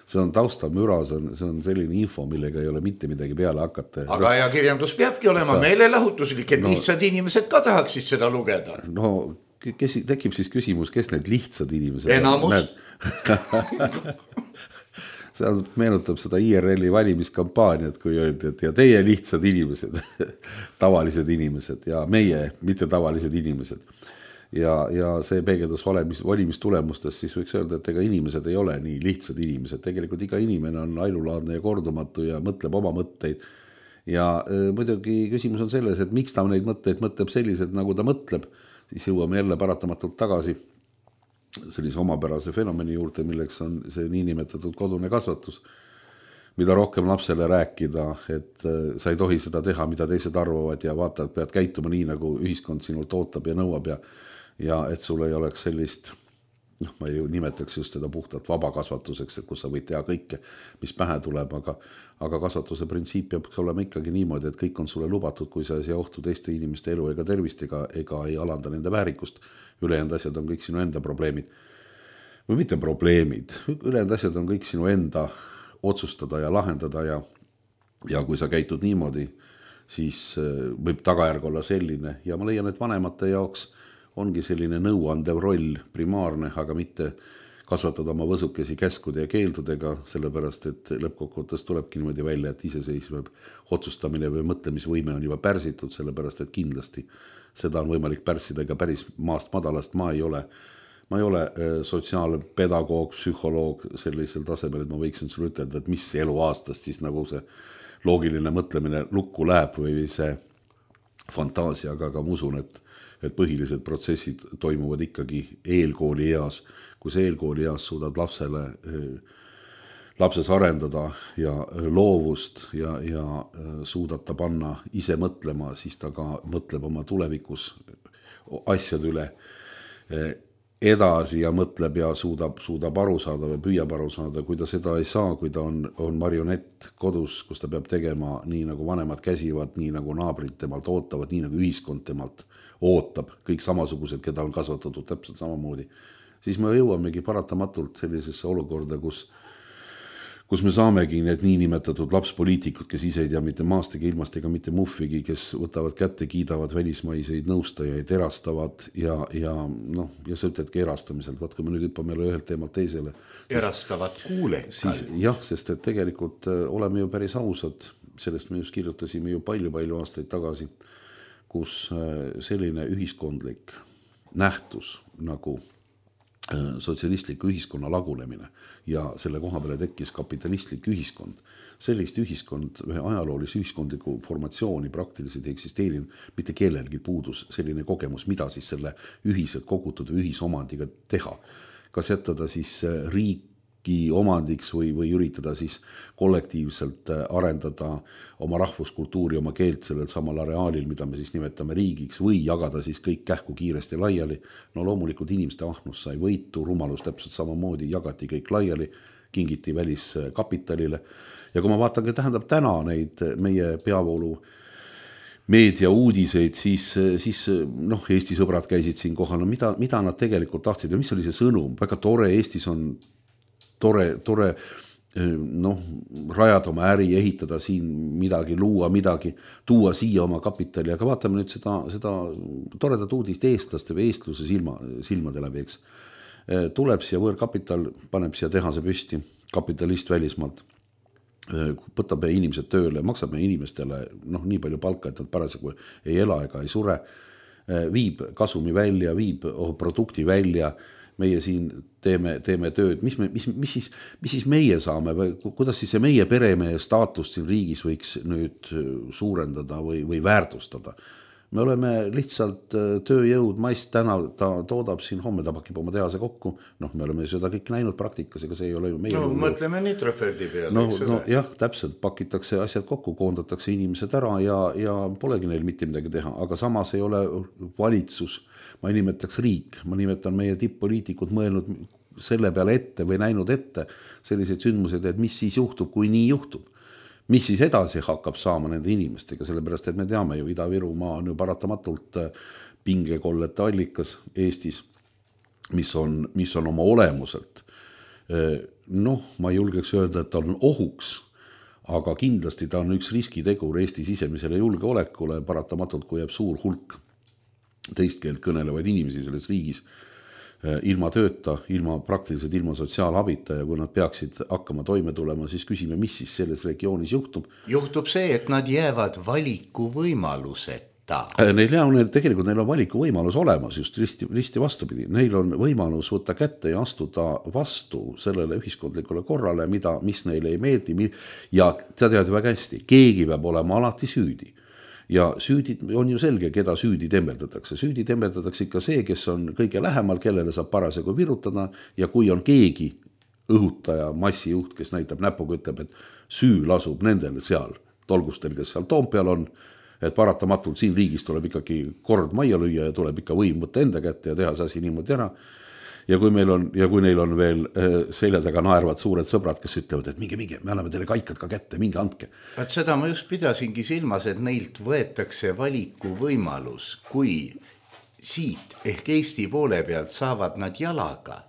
see on taustamüra, see on, see on selline info, millega ei ole mitte midagi peale hakata. Aga ajakirjandus peabki olema sa... meelelahutuslik, et no, lihtsad inimesed ka tahaksid seda lugeda. No kes, tekib siis küsimus, kes need lihtsad inimesed enamus. See meenutab seda I R L-i valimiskampaaniat, kui öeldi, et ja teie lihtsad inimesed, tavalised inimesed ja meie mitte tavalised inimesed. Ja, ja see peegeldas valimis, valimistulemustest, siis võiks öelda, et ega inimesed ei ole nii lihtsad inimesed. Tegelikult iga inimene on ainulaadne ja kordumatu ja mõtleb oma mõtteid. Ja äh, muidugi küsimus on selles, et miks ta neid mõtteid mõtleb sellised, nagu ta mõtleb, siis jõuame jälle paratamatult tagasi sellise omapärase fenomeni juurde, milleks on see niinimetatud kodune kasvatus, mida rohkem lapsele rääkida, et sa ei tohi seda teha, mida teised arvavad ja vaatad, pead käituma nii, nagu ühiskond sinult ootab ja nõuab ja, ja et sul ei oleks sellist, noh, ma ei nimetaks just seda puhtalt vabakasvatuseks, et kus sa võid teha kõike, mis pähe tuleb, aga, aga kasvatuse printsiip peab olema ikkagi niimoodi, et kõik on sulle lubatud, kui sa ei sea ohtu teiste inimeste elu ega tervist ega, ega ei alanda nende väärikust. Ülejäänud asjad on kõik sinu enda probleemid. Või mitte probleemid, ülejäänud asjad on kõik sinu enda otsustada ja lahendada ja, ja kui sa käitud niimoodi, siis võib tagajärg olla selline ja ma leian, et vanemate jaoks ongi selline nõuandev roll primaarne, aga mitte kasvatada oma võsukesi käskude ja keeldudega, sellepärast, et lõppkokkuvõttes tulebki niimoodi välja, et iseseisv otsustamine või mõtlemisvõime on juba pärsitud, sellepärast, et kindlasti seda on võimalik pärssida ega päris maast madalast. Ma ei ole, ma ei ole sotsiaalpedagoog, psühholoog sellisel tasemel, et ma võiksin sulle ütelda, et mis elu aastast siis nagu see loogiline mõtlemine lukku läheb või see fantaasia, aga ka ma usun, et, et põhilised protsessid toimuvad ikkagi eelkooli eas. Kui see eelkooli eas suudad lapsele lapses arendada ja loovust ja, ja suudad ta panna ise mõtlema, siis ta ka mõtleb oma tulevikus asjade üle edasi ja mõtleb ja suudab, suudab aru saada või püüab aru saada, kui ta seda ei saa, kui ta on, on marionett kodus, kus ta peab tegema nii, nagu vanemad käsivad, nii nagu naabrid temalt ootavad, nii nagu ühiskond temalt ootab, kõik samasugused, keda on kasvatatud täpselt samamoodi, siis me jõuamegi paratamatult sellisesse olukorda, kus kus me saamegi need niinimetatud lapspoliitikud, kes ise ei tea mitte maast ega ilmast ega mitte muffigi, kes võtavad kätte, kiidavad välismaiseid nõustajaid, erastavad ja, ja, noh, ja sa ütledki erastamiselt, vaat kui me nüüd hüppame ühelt teemalt teisele. Erastavad kuulekal. Jah, sest et tegelikult oleme ju päris ausad, sellest me just kirjutasime ju palju-palju aastaid tagasi, kus selline ühiskondlik nähtus nagu sotsialistliku ühiskonna lagunemine ja selle koha peale tekkis kapitalistlik ühiskond. Sellist ühiskond, ühe ajaloolise ühiskondliku formatsiooni praktiliselt ei eksisteerinud, mitte kellelgi puudus selline kogemus, mida siis selle ühiselt kogutud või ühisomandiga teha. Kas jätada siis riiki omandiks või, või üritada siis kollektiivselt arendada oma rahvuskultuuri, oma keelt sellel samal areaalil, mida me siis nimetame riigiks või jagada siis kõik kähku kiiresti laiali. No loomulikult inimeste ahnus sai võitu, rumalus täpselt samamoodi, jagati kõik laiali, kingiti väliskapitalile. Ja kui ma vaatan, tähendab täna neid meie peavoolu meedia uudiseid, siis, siis noh, Eesti sõbrad käisid siin kohal, no mida, mida nad tegelikult tahtsid ja mis oli see sõnum? Väga tore, Eestis on tore, tore noh, rajada oma äri, ehitada siin midagi, luua midagi, tuua siia oma kapitali, aga vaatame nüüd seda, seda toredat uudist eestlaste või eestluse silma, silmade läbi, eks. Tuleb siia võõrkapital, paneb siia tehase püsti, kapitalist välismaalt, võtab inimesed tööle, maksab meie inimestele noh, nii palju palka, et nad parasjagu ei ela ega ei sure, viib kasumi välja, viib produkti välja, meie siin teeme, teeme tööd, mis, me, mis, mis, siis, mis siis meie saame või kuidas siis see meie peremehe staatust siin riigis võiks nüüd suurendada või, või väärtustada. Me oleme lihtsalt tööjõud, maist täna ta toodab siin, homme ta pakib oma tehase kokku, noh, me oleme seda kõik näinud praktikas, ega see ei ole ju meie... No mõtleme Nitroferdi peale, no, eks no, jah, täpselt, pakitakse asjad kokku, koondatakse inimesed ära ja, ja polegi neil mitte midagi teha, aga samas ei ole valitsus, ma ei nimetaks riik, ma nimetan meie tipp-poliitikud mõelnud selle peale ette või näinud ette sellised sündmused, et mis siis juhtub, kui nii juhtub. Mis siis edasi hakkab saama nende inimestega, sellepärast, et me teame ju, Ida-Virumaa on ju paratamatult pingekollete allikas Eestis, mis on, mis on oma olemuselt noh, ma ei julgeks öelda, et ta on ohuks, aga kindlasti ta on üks riskitegur Eesti sisemisele julgeolekule, paratamatult, kui jääb suur hulk teist keelt kõnelevaid inimesi selles riigis ilma tööta, ilma praktiliselt ilma sotsiaalabita ja kui nad peaksid hakkama toime tulema, siis küsime, mis siis selles regioonis juhtub. Juhtub see, et nad jäävad valikuvõimaluseta. Neil, ja, neil, tegelikult neil on valikuvõimalus olemas, just risti, risti vastupidi. Neil on võimalus võtta kätte ja astuda vastu sellele ühiskondlikule korrale, mida, mis neile ei meeldi ja ta tead ju väga hästi, keegi peab olema alati süüdi. Ja süüdi on ju selge, keda süüdi tembeldatakse. Süüdi tembeldatakse ikka see, kes on kõige lähemal, kellele saab parasjagu virutada ja kui on keegi õhutaja, massijuht, kes näitab näpuga, ütleb, et süü lasub nendel seal tolgustel, kes seal Toompeal on, et paratamatult siin riigis tuleb ikkagi kord majja lüüa ja tuleb ikka võim võtta enda kätte ja teha see asi niimoodi ära. Ja kui, meil on, ja kui neil on veel selja taga naervad suured sõbrad, kes ütlevad, et minge, minge, me anname teile kaikad ka kätte, minge andke. Et seda ma just pidasingi silmas, et neilt võetakse valiku võimalus, kui siit ehk Eesti poole pealt saavad nad jalaga,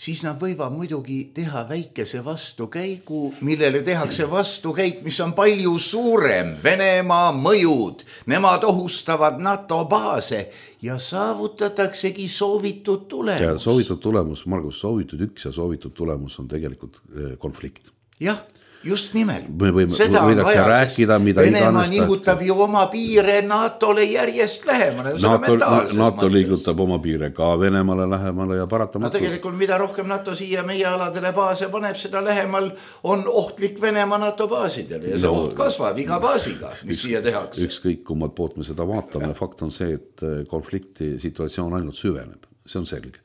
siis nad võivad muidugi teha väikese vastukäigu, millele tehakse vastukäik, mis on palju suurem. Venemaa mõjud, nemad ohustavad NATO baase ja saavutataksegi soovitud tulemus. Ja soovitud tulemus, Margus, soovitud üks ja soovitud tulemus on tegelikult konflikt. Jah. Just nimelt. Me võime, seda on vaja, rääkida, mida Venemaa nihutab ju oma piire NATOle järjest lähemale. NATO, NATO liigutab oma piire ka Venemaale lähemale ja paratamatult. No tegelikult mida rohkem NATO siia meie aladele baase paneb, seda lähemal on ohtlik Venemaa NATO baasidele ja see no, oht kasvab iga baasiga, mis üks, siia tehakse. Ükskõik kummalt poolt me seda vaatame, fakt on see, et konflikti situatsioon ainult süveneb, see on selge.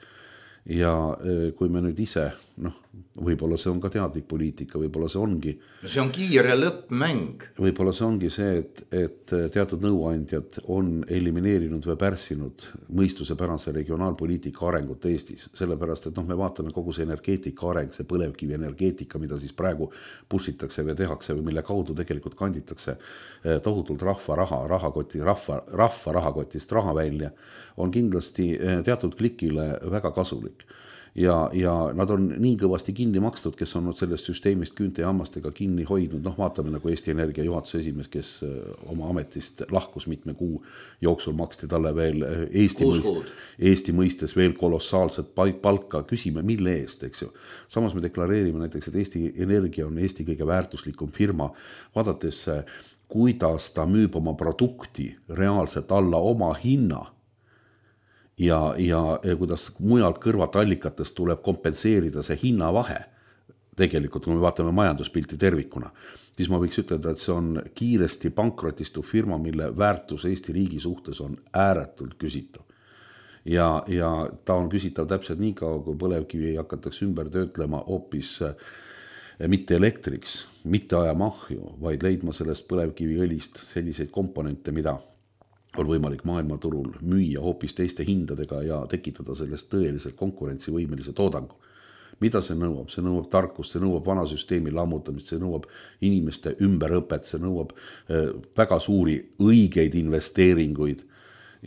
Ja kui me nüüd ise, noh, võib-olla see on ka teadlik poliitika, võib-olla see ongi. See on kiire lõppmäng. Võib-olla see ongi see, et, et teatud nõuandjad on elimineerinud või pärssinud mõistusepärase regionaalpoliitika arengut Eestis. Sellepärast, et noh, me vaatame kogu see energeetika areng, see põlevkivi energeetika, mida siis praegu pussitakse või tehakse või mille kaudu tegelikult kanditakse tohutult rahva raha, rahakoti, rahva, rahva rahakotist raha välja, on kindlasti teatud klikile väga kasulik. Ja, ja nad on nii kõvasti kinni makstud, kes on sellest süsteemist küünte ja hammastega kinni hoidnud. Noh, vaatame nagu Eesti Energia juhatuse esimees, kes oma ametist lahkus mitme kuu jooksul maksti talle veel Eesti, mõist, Eesti mõistes veel kolossaalset palka. Küsime, mille eest, eks ju. Samas me deklareerime näiteks, et Eesti Energia on Eesti kõige väärtuslikum firma. Vaadates, kuidas ta müüb oma produkti reaalselt alla oma hinna, Ja, ja kuidas mujalt kõrvat allikatest tuleb kompenseerida see hinnavahe, tegelikult kui me vaatame majanduspilti tervikuna, siis ma võiks ütelda, et see on kiiresti pankrotistuv firma, mille väärtus Eesti riigi suhtes on ääretult küsitav. Ja, ja ta on küsitav täpselt nii kaua, kui põlevkivi hakatakse ümber töötlema hoopis mitte elektriks, mitte ajamahju, vaid leidma sellest põlevkiviõlist selliseid komponente, mida on võimalik maailmaturul müüa hoopis teiste hindadega ja tekitada sellest tõeliselt konkurentsivõimelise toodangu. Mida see nõuab? See nõuab tarkust, see nõuab vana süsteemi lammutamist, see nõuab inimeste ümberõpet, see nõuab väga suuri õigeid investeeringuid.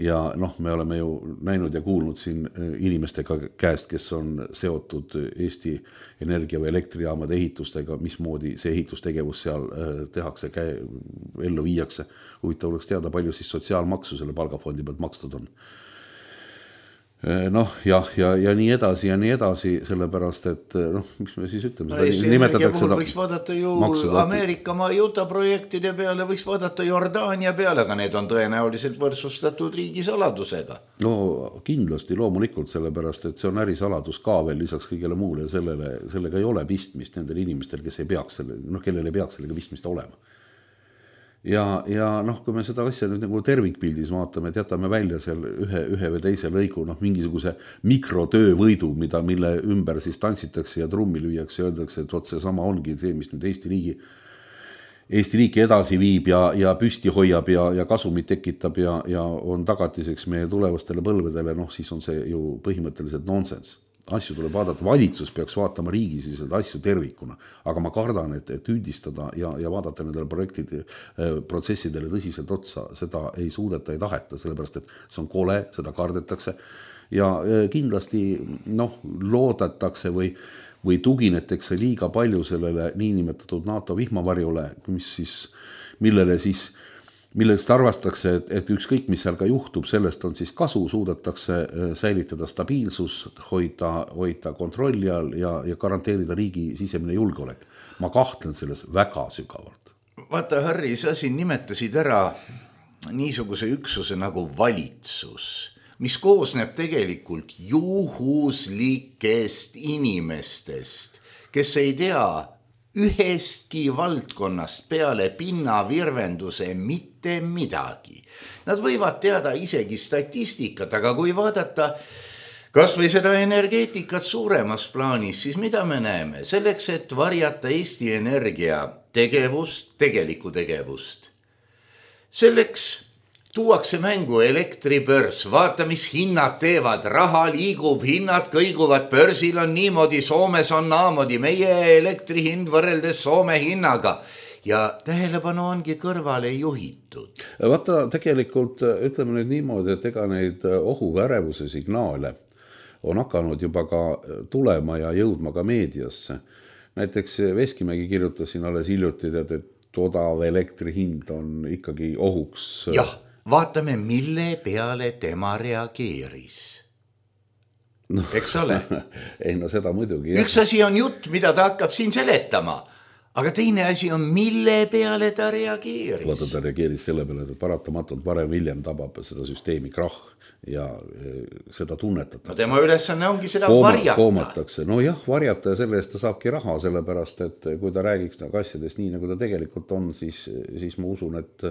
Ja noh, me oleme ju näinud ja kuulnud siin inimestega käest, kes on seotud Eesti Energia või elektrijaamade ehitustega, mismoodi see ehitustegevus seal tehakse, ellu viiakse. Huvitav oleks teada, palju siis sotsiaalmaksu selle palgafondi pealt makstud on. Noh, jah, ja, ja nii edasi ja nii edasi, sellepärast, et noh, miks me siis ütleme, no, seda nimetatakse seda võiks vaadata ju Ameerika Majuta projektide peale, võiks vaadata Jordaania peale, aga need on tõenäoliselt võrdsustatud riigisaladusega. No kindlasti, loomulikult, sellepärast, et see on ärisaladus ka veel lisaks kõigele muule ja sellele, sellega ei ole pistmist nendel inimestel, kes ei peaks selle, noh, kellel ei peaks sellega pistmist olema. Ja, ja noh, kui me seda asja nüüd nagu tervikpildis vaatame, et jätame välja seal ühe, ühe või teise lõigu, noh, mingisuguse mikrotöövõidu, mida, mille ümber siis tantsitakse ja trummi lüüakse ja öeldakse, et otse sama ongi see, mis nüüd Eesti riigi, Eesti riiki edasi viib ja, ja püsti hoiab ja, ja kasumit tekitab ja, ja on tagatiseks meie tulevastele põlvedele, noh, siis on see ju põhimõtteliselt nonsense. Asju tuleb vaadata, valitsus peaks vaatama riigisiselt asju tervikuna, aga ma kardan, et, et üldistada ja, ja vaadata nendele projektide, protsessidele tõsiselt otsa, seda ei suudeta, ei taheta, sellepärast, et see on kole, seda kardetakse ja kindlasti noh, loodetakse või, või tuginetakse liiga palju sellele niinimetatud NATO vihmavarjule, mis siis, millele siis, millest arvatakse, et, et ükskõik, mis seal ka juhtub, sellest on siis kasu, suudetakse säilitada stabiilsus, hoida, hoida kontrolli all ja, ja garanteerida riigi sisemine julgeolek. Ma kahtlen selles väga sügavalt. Vaata, Harri, sa siin nimetasid ära niisuguse üksuse nagu valitsus, mis koosneb tegelikult juhuslikest inimestest, kes ei tea ühestki valdkonnast peale pinnavirvenduse mitte midagi. Nad võivad teada isegi statistikat, aga kui vaadata kas või seda energeetikat suuremas plaanis, siis mida me näeme? Selleks, et varjata Eesti Energia tegevust, tegelikku tegevust. Selleks tuuakse mängu elektribörs, vaata, mis hinnad teevad, raha liigub, hinnad kõiguvad, börsil on niimoodi, Soomes on naamoodi, meie elektrihind võrreldes Soome hinnaga ja tähelepanu ongi kõrvale juhitud. Vaata, tegelikult ütleme nüüd niimoodi, et ega neid ohuga ärevuse signaale on hakanud juba ka tulema ja jõudma ka meediasse. Näiteks Veskimägi kirjutasin alles hiljuti, et odav elektri hind on ikkagi ohuks. Jah, vaatame, mille peale tema reageeris. No, eks ole? Ei, no seda muidugi. Üks asi on jutt, mida ta hakkab siin seletama. Aga teine asi on, mille peale ta reageeris. Vaata, ta reageeris selle peale, et paratamatult varem hiljem tabab seda süsteemi krahh ja seda tunnetatakse. No tema ülesanne ongi seda Kooma, varjata. Koomatakse. No jah, varjata ja selle eest ta saabki raha, sellepärast, et kui ta räägiks asjadest nii, nagu ta tegelikult on, siis, siis ma usun, et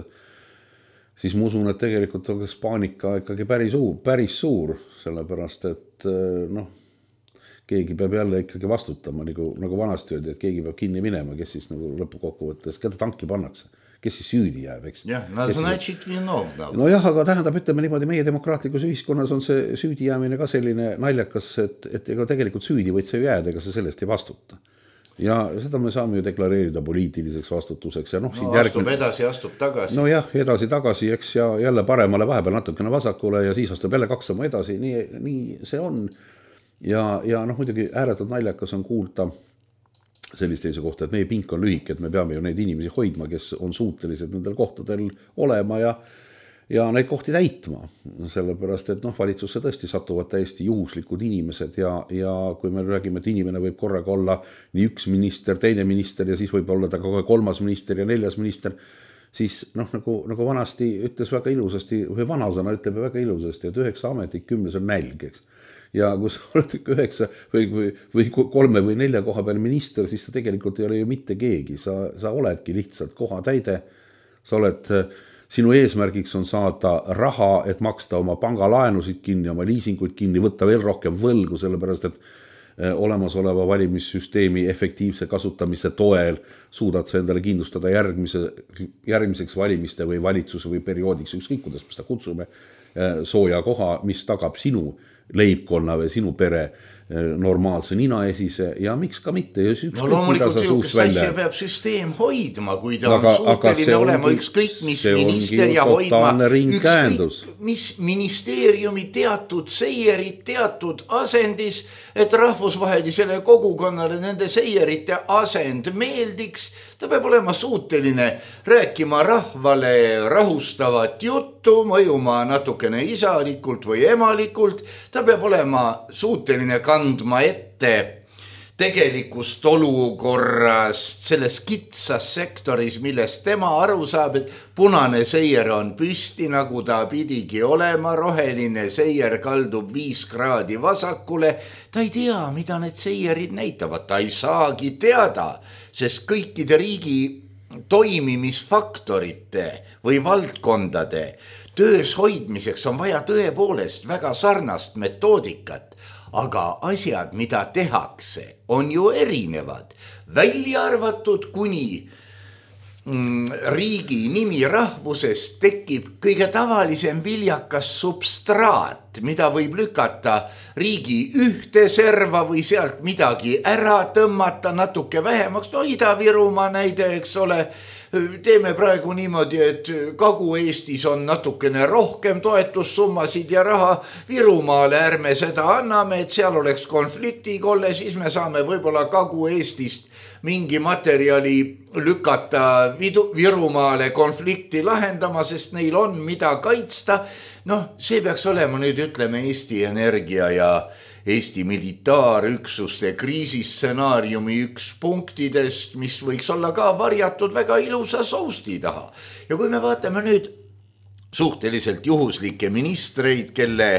siis ma usun, et tegelikult on paanika ikkagi päris suur, päris suur, sellepärast, et noh, keegi peab jälle ikkagi vastutama, nagu, nagu vanasti öeldi, et keegi peab kinni minema, kes siis nagu lõpukokkuvõttes, keda tanki pannakse, kes siis süüdi jääb, eks? Jah, no значит vinovna. No jah, aga tähendab, ütleme niimoodi, meie demokraatlikus ühiskonnas on see süüdi jäämine ka selline naljakas, et, et ega tegelikult süüdi võid sa ju jääda, ega sa sellest ei vastuta. Ja seda me saame ju deklareerida poliitiliseks vastutuseks. Ja noh, no astub järgmine... edasi, astub tagasi. No jah, edasi tagasi, eks, ja jälle paremale vahepeal natukene vasakule ja siis astub jälle kaks sama edasi, nii, nii see on. Ja, ja noh, muidugi ääretult naljakas on kuulda sellist teise kohta, et meie pink on lühike, et me peame ju neid inimesi hoidma, kes on suutelised nendel kohtadel olema ja, ja neid kohti täitma. Sellepärast, et noh, valitsusse tõesti satuvad täiesti juhuslikud inimesed ja, ja kui me räägime, et inimene võib korraga olla nii üks minister, teine minister ja siis võib olla ta ka kolmas minister ja neljas minister, siis noh, nagu, nagu vanasti ütles väga ilusasti, või vanasõna ütleb väga ilusasti, et üheksa ametit, kümnes on nälg, eks. Ja kui sa oled üheksa või, või, või kolme või nelja koha peal minister, siis sa tegelikult ei ole ju mitte keegi. Sa, sa oledki lihtsalt koha täide. Sa oled, sinu eesmärgiks on saada raha, et maksta oma pangalaenusid kinni, oma liisinguid kinni, võtta veel rohkem võlgu, sellepärast et olemasoleva valimissüsteemi efektiivse kasutamise toel suudad sa endale kindlustada järgmise, järgmiseks valimiste või valitsuse või perioodiks, ükskõik kuidas me seda kutsume, sooja koha, mis tagab sinu leibkonna või sinu pere normaalse ninaesise ja miks ka mitte. Ja no loomulikult jõukest asja peab süsteem hoidma, kui ta aga, on suuteline olema ükskõik mis minister ja hoidma ükskõik mis ministeeriumi teatud seierid, teatud asendis, et rahvusvahelisele kogukonnale nende seierite asend meeldiks. Ta peab olema suuteline rääkima rahvale rahustavat juttu, mõjuma natukene isalikult või emalikult. Ta peab olema suuteline kandma ette tegelikust olukorrast selles kitsas sektoris, millest tema aru saab, et punane seier on püsti, nagu ta pidigi olema, roheline seier kaldub viis kraadi vasakule. Ta ei tea, mida need seierid näitavad, ta ei saagi teada, sest kõikide riigi toimimisfaktorite või valdkondade töös hoidmiseks on vaja tõepoolest väga sarnast metoodikat. Aga asjad, mida tehakse, on ju erinevad. Välja arvatud kuni mm, riigi nimi rahvusest tekib kõige tavalisem viljakas substraat, mida võib lükata riigi ühte serva või sealt midagi ära tõmmata natuke vähemaks. No Ida-Virumaa näide, eks ole, teeme praegu niimoodi, et Kagu-Eestis on natukene rohkem toetussummasid ja raha Virumaale, ärme seda anname, et seal oleks konfliktikolle, siis me saame võib-olla Kagu-Eestist mingi materjali lükata Virumaale konflikti lahendama, sest neil on mida kaitsta. Noh, see peaks olema nüüd, ütleme, Eesti Energia ja Eesti militaarüksuste kriisistsenaariumi üks punktidest, mis võiks olla ka varjatud väga ilusa sousti taha. Ja kui me vaatame nüüd suhteliselt juhuslikke ministreid, kelle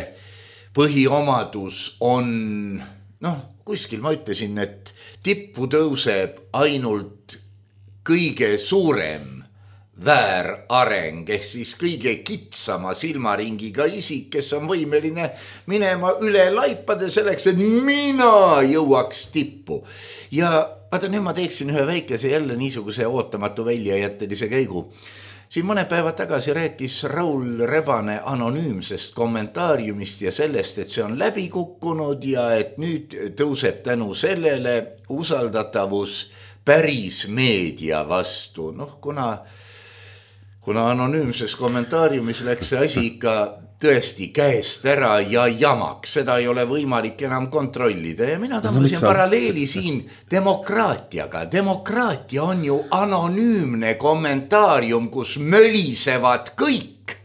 põhiomadus on, noh, kuskil ma ütlesin, et tippu tõuseb ainult kõige suurem väärareng, ehk siis kõige kitsama silmaringiga isik, kes on võimeline minema üle laipade selleks, et mina jõuaks tippu. Ja vaata, nüüd ma teeksin ühe väikese jälle niisuguse ootamatu väljajättelise käigu. Siin mõne päeva tagasi rääkis Raul Rebane anonüümsest kommentaariumist ja sellest, et see on läbi kukkunud ja et nüüd tõuseb tänu sellele usaldatavus päris meedia vastu. Noh, kuna, kuna anonüümses kommentaariumis läks see asi ikka tõesti käest ära ja jamaks, seda ei ole võimalik enam kontrollida. Ja mina tõmbasin no, paralleeli siin demokraatiaga. Demokraatia on ju anonüümne kommentaarium, kus mölisevad kõik.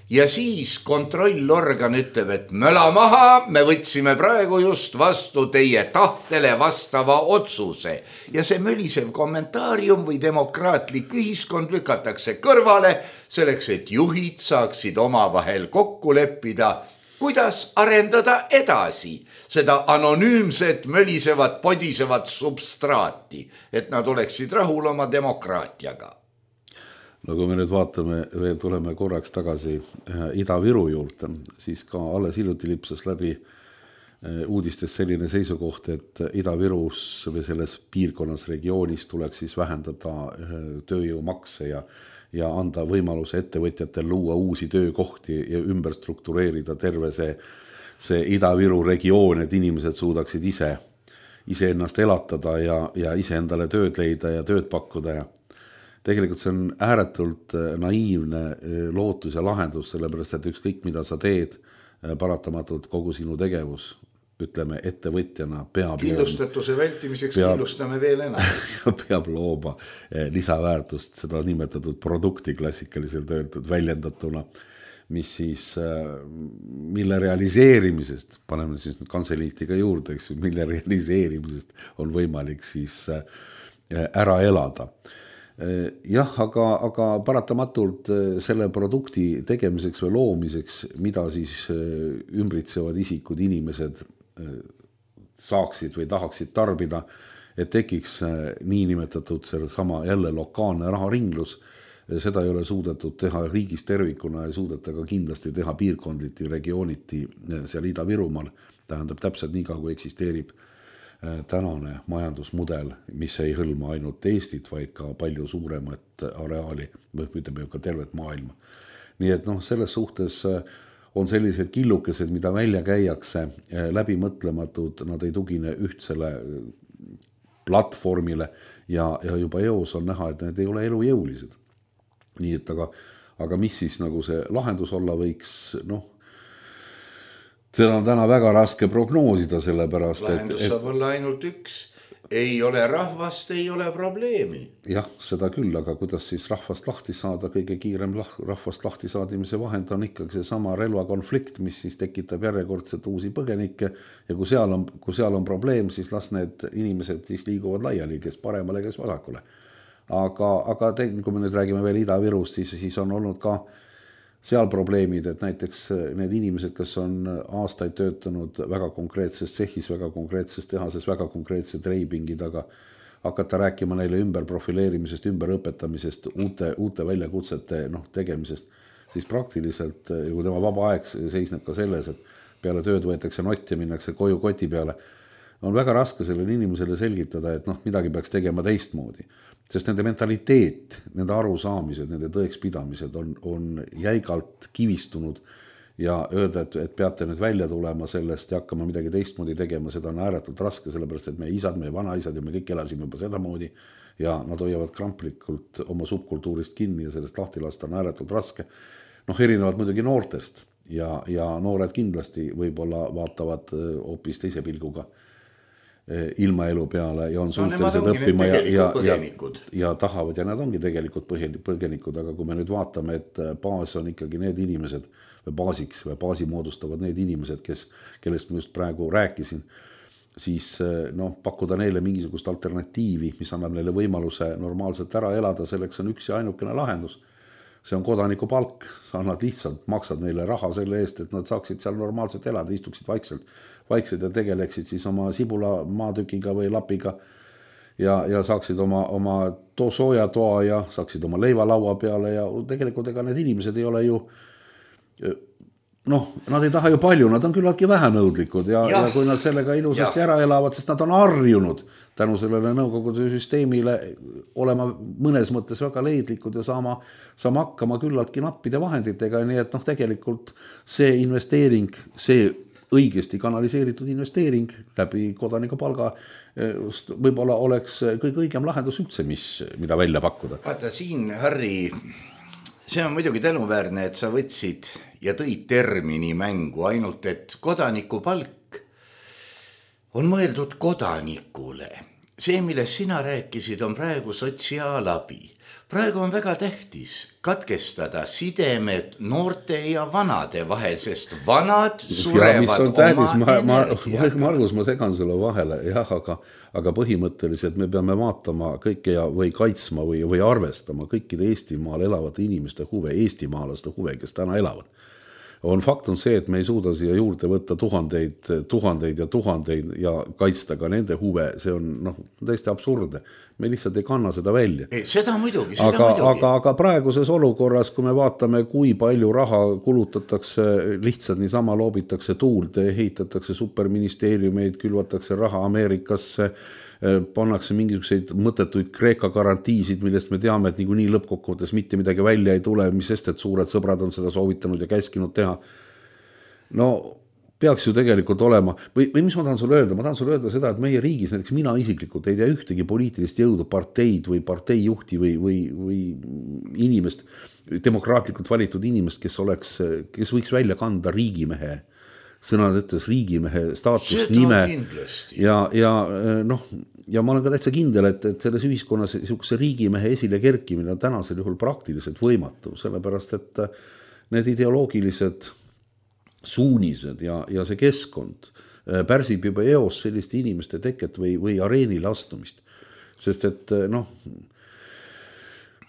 Ja siis kontrollorgan ütleb, et möla maha, me võtsime praegu just vastu teie tahtele vastava otsuse. Ja see mölisev kommentaarium või demokraatlik ühiskond lükatakse kõrvale, selleks, et juhid saaksid omavahel kokku leppida, kuidas arendada edasi seda anonüümset, mölisevat, podisevat substraati, et nad oleksid rahul oma demokraatiaga. No kui me nüüd vaatame, veel tuleme korraks tagasi Ida-Viru juurde, siis ka alles hiljuti lipsas läbi uudistes selline seisukoht, et Ida-Virus või selles piirkonnas regioonis tuleks siis vähendada tööjõumakse ja, ja anda võimaluse ettevõtjatel luua uusi töökohti ja ümber struktureerida terve see, see Ida-Viru regioon, et inimesed suudaksid ise, ise ennast elatada ja, ja ise endale tööd leida ja tööd pakkuda ja tegelikult see on ääretult naiivne lootus ja lahendus, sellepärast, et ükskõik mida sa teed, paratamatult kogu sinu tegevus, ütleme, ettevõtjana peab killustatuse vältimiseks peab, killustame veel enam. Peab looma lisaväärtust, seda nimetatud produkti klassikaliselt öeldud väljendatuna, mis siis, mille realiseerimisest, paneme siis kantseliitiga juurde, mille realiseerimisest on võimalik siis ära elada. Jah, aga, aga paratamatult selle produkti tegemiseks või loomiseks, mida siis ümbritsevad isikud, inimesed saaksid või tahaksid tarbida, et tekiks niinimetatud selle sama jälle lokaalne raharinglus, seda ei ole suudetud teha riigis tervikuna ja suudeta ka kindlasti teha piirkondliti, regiooniti seal Ida-Virumaal, tähendab täpselt nii ka, kui eksisteerib tänane majandusmudel, mis ei hõlma ainult Eestit, vaid ka palju suuremat areaali, või ütleme ju ka tervet maailma. Nii et noh, selles suhtes on sellised killukesed, mida välja käiakse, läbi mõtlematud, nad ei tugine ühtsele platvormile ja, ja juba eos on näha, et need ei ole elujõulised. Nii et aga, aga mis siis nagu see lahendus olla võiks, noh, seda on täna väga raske prognoosida, sellepärast, lahendus et... saab olla ainult üks. Ei ole rahvast, ei ole probleemi. Jah, seda küll, aga kuidas siis rahvast lahti saada, kõige kiirem rahvast lahti saadimise vahend on ikkagi see sama relvakonflikt, mis siis tekitab järjekordselt uusi põgenikke ja kui seal on, kui seal on probleem, siis las need inimesed siis liiguvad laiali, kes paremale, kes vasakule. Aga, aga te, kui me nüüd räägime veel Ida-Virust, siis, siis on olnud ka seal probleemid, et näiteks need inimesed, kes on aastaid töötanud väga konkreetses sehis, väga konkreetses tehases, väga konkreetse treipingi taga, hakata rääkima neile ümber profileerimisest, ümber õpetamisest, uute, uute väljakutsete noh, tegemisest, siis praktiliselt, kui tema vaba aeg seisneb ka selles, et peale tööd võetakse nott ja minnakse koju koti peale, on väga raske sellele inimesele selgitada, et noh, midagi peaks tegema teistmoodi. Sest nende mentaliteet, nende arusaamised, nende tõekspidamised on, on jäigalt kivistunud ja öelda, et, et peate nüüd välja tulema sellest ja hakkama midagi teistmoodi tegema, seda on ääretult raske, sellepärast et meie isad, meie vanaisad ja me kõik elasime juba sedamoodi ja nad hoiavad kramplikult oma subkultuurist kinni ja sellest lahti lasta on ääretult raske. Noh, erinevalt muidugi noortest ja, ja noored kindlasti võib-olla vaatavad hoopis teise pilguga ilmaelu peale ja on suutelised no, õppima ja, ja, ja, ja tahavad ja nad ongi tegelikult põgenikud, aga kui me nüüd vaatame, et baas on ikkagi need inimesed või baasiks või baasi moodustavad need inimesed, kes, kellest ma just praegu rääkisin, siis noh, pakkuda neile mingisugust alternatiivi, mis annab neile võimaluse normaalselt ära elada, selleks on üks ja ainukene lahendus. See on kodaniku palk, sa annad lihtsalt, maksad neile raha selle eest, et nad saaksid seal normaalselt elada, istuksid vaikselt vaiksed ja tegeleksid siis oma sibula maatükiga või lapiga ja, ja saaksid oma, oma to, sooja toa ja saaksid oma leiva laua peale ja tegelikult ega need inimesed ei ole ju noh, nad ei taha ju palju, nad on küllaltki vähenõudlikud ja, ja. ja kui nad sellega ilusasti ja. ära elavad, sest nad on harjunud tänu sellele nõukogude süsteemile olema mõnes mõttes väga leidlikud ja saama, saama hakkama küllaltki nappide vahenditega, nii et noh, tegelikult see investeering, see õigesti kanaliseeritud investeering läbi kodaniku palga võib-olla oleks kõige õigem lahendus üldse, mis, mida välja pakkuda. Vaata siin, Harri, see on muidugi tänuväärne, et sa võtsid ja tõid termini mängu, ainult et kodaniku palk on mõeldud kodanikule. See, millest sina rääkisid, on praegu sotsiaalabi. Praegu on väga tähtis katkestada sidemed noorte ja vanade vahel, sest vanad surevad ja, oma ma, ma, Margus, ma segan sulle vahele, jah, aga, aga põhimõtteliselt me peame vaatama kõike ja, või kaitsma või, või arvestama kõikide Eestimaal elavate inimeste huve, eestimaalaste huve, kes täna elavad. On fakt on see, et me ei suuda siia juurde võtta tuhandeid, tuhandeid ja tuhandeid ja kaitsta ka nende huve, see on noh, täiesti absurdne. Me lihtsalt ei kanna seda välja. Ei, seda muidugi, seda aga, muidugi. Aga, aga praeguses olukorras, kui me vaatame, kui palju raha kulutatakse, lihtsalt niisama loobitakse tuulde, ehitatakse superministeeriumeid, külvatakse raha Ameerikasse, pannakse mingisuguseid mõttetuid Kreeka garantiisid, millest me teame, et niikuinii lõppkokkuvõttes mitte midagi välja ei tule, mis sest, et suured sõbrad on seda soovitanud ja käskinud teha. No peaks ju tegelikult olema, või, või mis ma tahan sulle öelda, ma tahan sulle öelda seda, et meie riigis, näiteks mina isiklikult ei tea ühtegi poliitilist jõudu, parteid või parteijuhti või, või, või inimest, demokraatlikult valitud inimest, kes oleks, kes võiks välja kanda riigimehe, sõnad ütles riigimehe staatust, nime ja, ja noh, ja ma olen ka täitsa kindel, et, et selles ühiskonnas niisuguse riigimehe esile kerkimine on tänasel juhul praktiliselt võimatu, sellepärast et need ideoloogilised suunised ja, ja see keskkond pärsib juba eos selliste inimeste teket või, või areenile astumist. Sest et noh,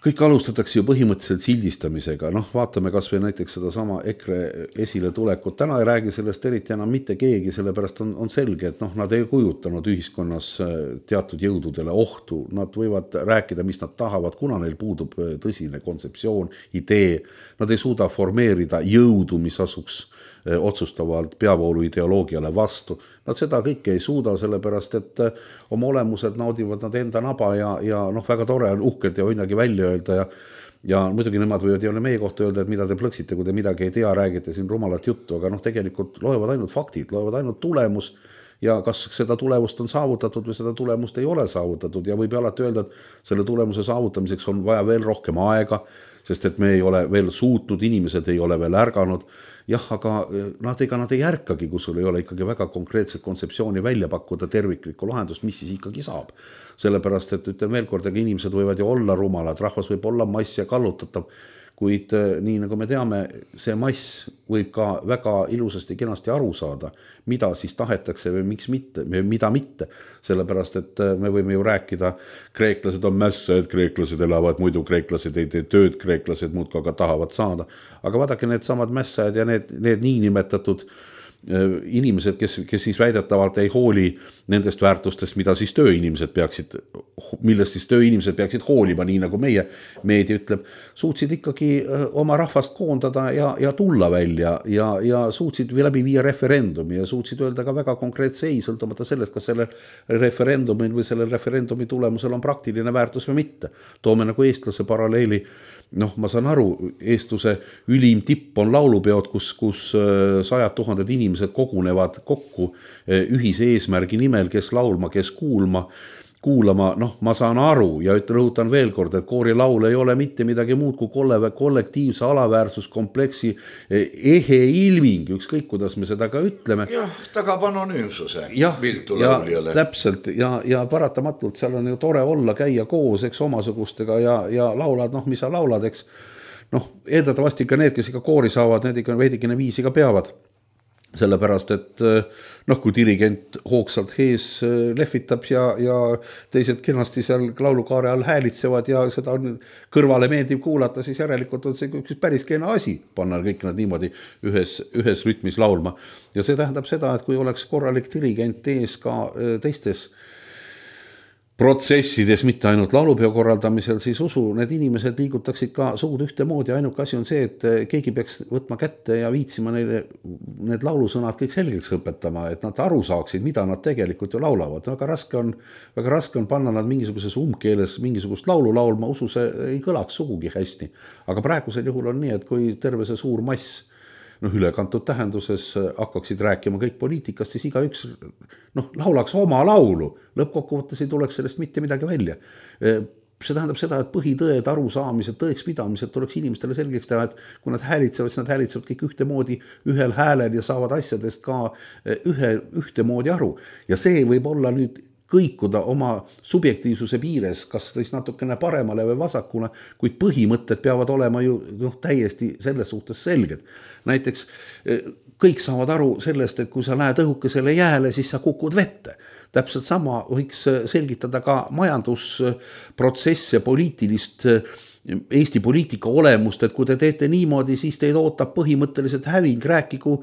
kõik alustatakse ju põhimõtteliselt sildistamisega, noh vaatame kas või näiteks seda sama EKRE esile tulekut, täna ei räägi sellest eriti enam mitte keegi, sellepärast on, on selge, et noh, nad ei kujutanud ühiskonnas teatud jõududele ohtu, nad võivad rääkida, mis nad tahavad, kuna neil puudub tõsine kontseptsioon, idee, nad ei suuda formeerida jõudu, mis asuks otsustavalt peavoolu ideoloogiale vastu. Nad seda kõike ei suuda, sellepärast et oma olemuselt naudivad nad enda naba ja, ja noh, väga tore on uhkelt ja midagi välja öelda ja, ja muidugi nemad võivad ei ole meie kohta öelda, et mida te plõksite, kui te midagi ei tea, räägite siin rumalat juttu, aga noh, tegelikult loevad ainult faktid, loevad ainult tulemus ja kas seda tulemust on saavutatud või seda tulemust ei ole saavutatud ja võib alati öelda, et selle tulemuse saavutamiseks on vaja veel rohkem aega, sest et me ei ole veel suutnud, inimesed ei ole veel ärganud. Jah, aga nad, ega nad ei ärkagi, kui sul ei ole ikkagi väga konkreetset kontseptsiooni välja pakkuda terviklikku lahendust, mis siis ikkagi saab. Sellepärast, et ütlen veel kord, aga inimesed võivad ju olla rumalad, rahvas võib olla mass ja kallutatav, kuid nii nagu me teame, see mass võib ka väga ilusasti kenasti aru saada, mida siis tahetakse või miks mitte, mida mitte. Sellepärast, et me võime ju rääkida, kreeklased on mässajad, kreeklased elavad, muidu kreeklased ei tee tööd, kreeklased muudkui aga tahavad saada. Aga vaadake need samad mässajad ja need, need nii nimetatud inimesed, kes, kes siis väidetavalt ei hooli nendest väärtustest, mida siis tööinimesed peaksid, millest siis tööinimesed peaksid hoolima, nii nagu meie meedia ütleb, suutsid ikkagi oma rahvast koondada ja, ja tulla välja ja, ja suutsid läbi viia referendumi ja suutsid öelda ka väga konkreetse ei, sõltumata sellest, kas sellel referendumil või sellel referendumi tulemusel on praktiline väärtus või mitte. Toome nagu eestlase paralleeli noh, ma saan aru, eestluse ülim tipp on laulupeod, kus, kus sajad tuhanded inimesed kogunevad kokku ühise eesmärgi nimel, kes laulma, kes kuulma, kuulama, noh, ma saan aru ja ütlen, rõhutan veel kord, et koorilaul ei ole mitte midagi muud kui kollektiivse alaväärsuskompleksi ehe ilming, ükskõik kuidas me seda ka ütleme. Jah, tagab anonüümsuse viltu ja, lauljale. Täpselt ja, ja paratamatult seal on ju tore olla, käia koos, eks, omasugustega ja, ja laulad, noh, mis sa laulad, eks, noh, eeldatavasti ka need, kes ikka koori saavad, need ikka veidikene viisi ka peavad. Sellepärast, et noh, kui dirigent hoogsalt hees lehvitab ja, ja teised kenasti seal laulukaare all häälitsevad ja seda on kõrvale meeldib kuulata, siis järelikult on see üks päris kena asi panna kõik nad niimoodi ühes, ühes rütmis laulma. Ja see tähendab seda, et kui oleks korralik dirigent ees ka teistes protsessides, mitte ainult laulupeo korraldamisel, siis usu, need inimesed liigutaksid ka suud ühtemoodi. Ainuke asi on see, et keegi peaks võtma kätte ja viitsima neile need laulusõnad kõik selgeks õpetama, et nad aru saaksid, mida nad tegelikult ju laulavad. Väga raske on, väga raske on panna nad mingisuguses umbkeeles mingisugust laulu laulma, usu see ei kõlaks sugugi hästi. Aga praegusel juhul on nii, et kui terve see suur mass noh, ülekantud tähenduses hakkaksid rääkima kõik poliitikast, siis iga üks noh, laulaks oma laulu. Lõppkokkuvõttes ei tuleks sellest mitte midagi välja. See tähendab seda, et põhitõed, arusaamised, tõekspidamised tuleks inimestele selgeks teha, et kui nad häälitsevad, siis nad häälitsevad kõik ühtemoodi ühel häälel ja saavad asjadest ka ühe, ühtemoodi aru. Ja see võib olla nüüd kõikuda oma subjektiivsuse piires, kas siis natukene paremale või vasakule, kuid põhimõtted peavad olema ju noh, täiesti selles suhtes selged. Näiteks kõik saavad aru sellest, et kui sa lähed õhukesele jääle, siis sa kukud vette. Täpselt sama võiks selgitada ka majandusprotsesse, poliitilist Eesti poliitika olemust, et kui te teete niimoodi, siis teid ootab põhimõtteliselt häving, rääkigu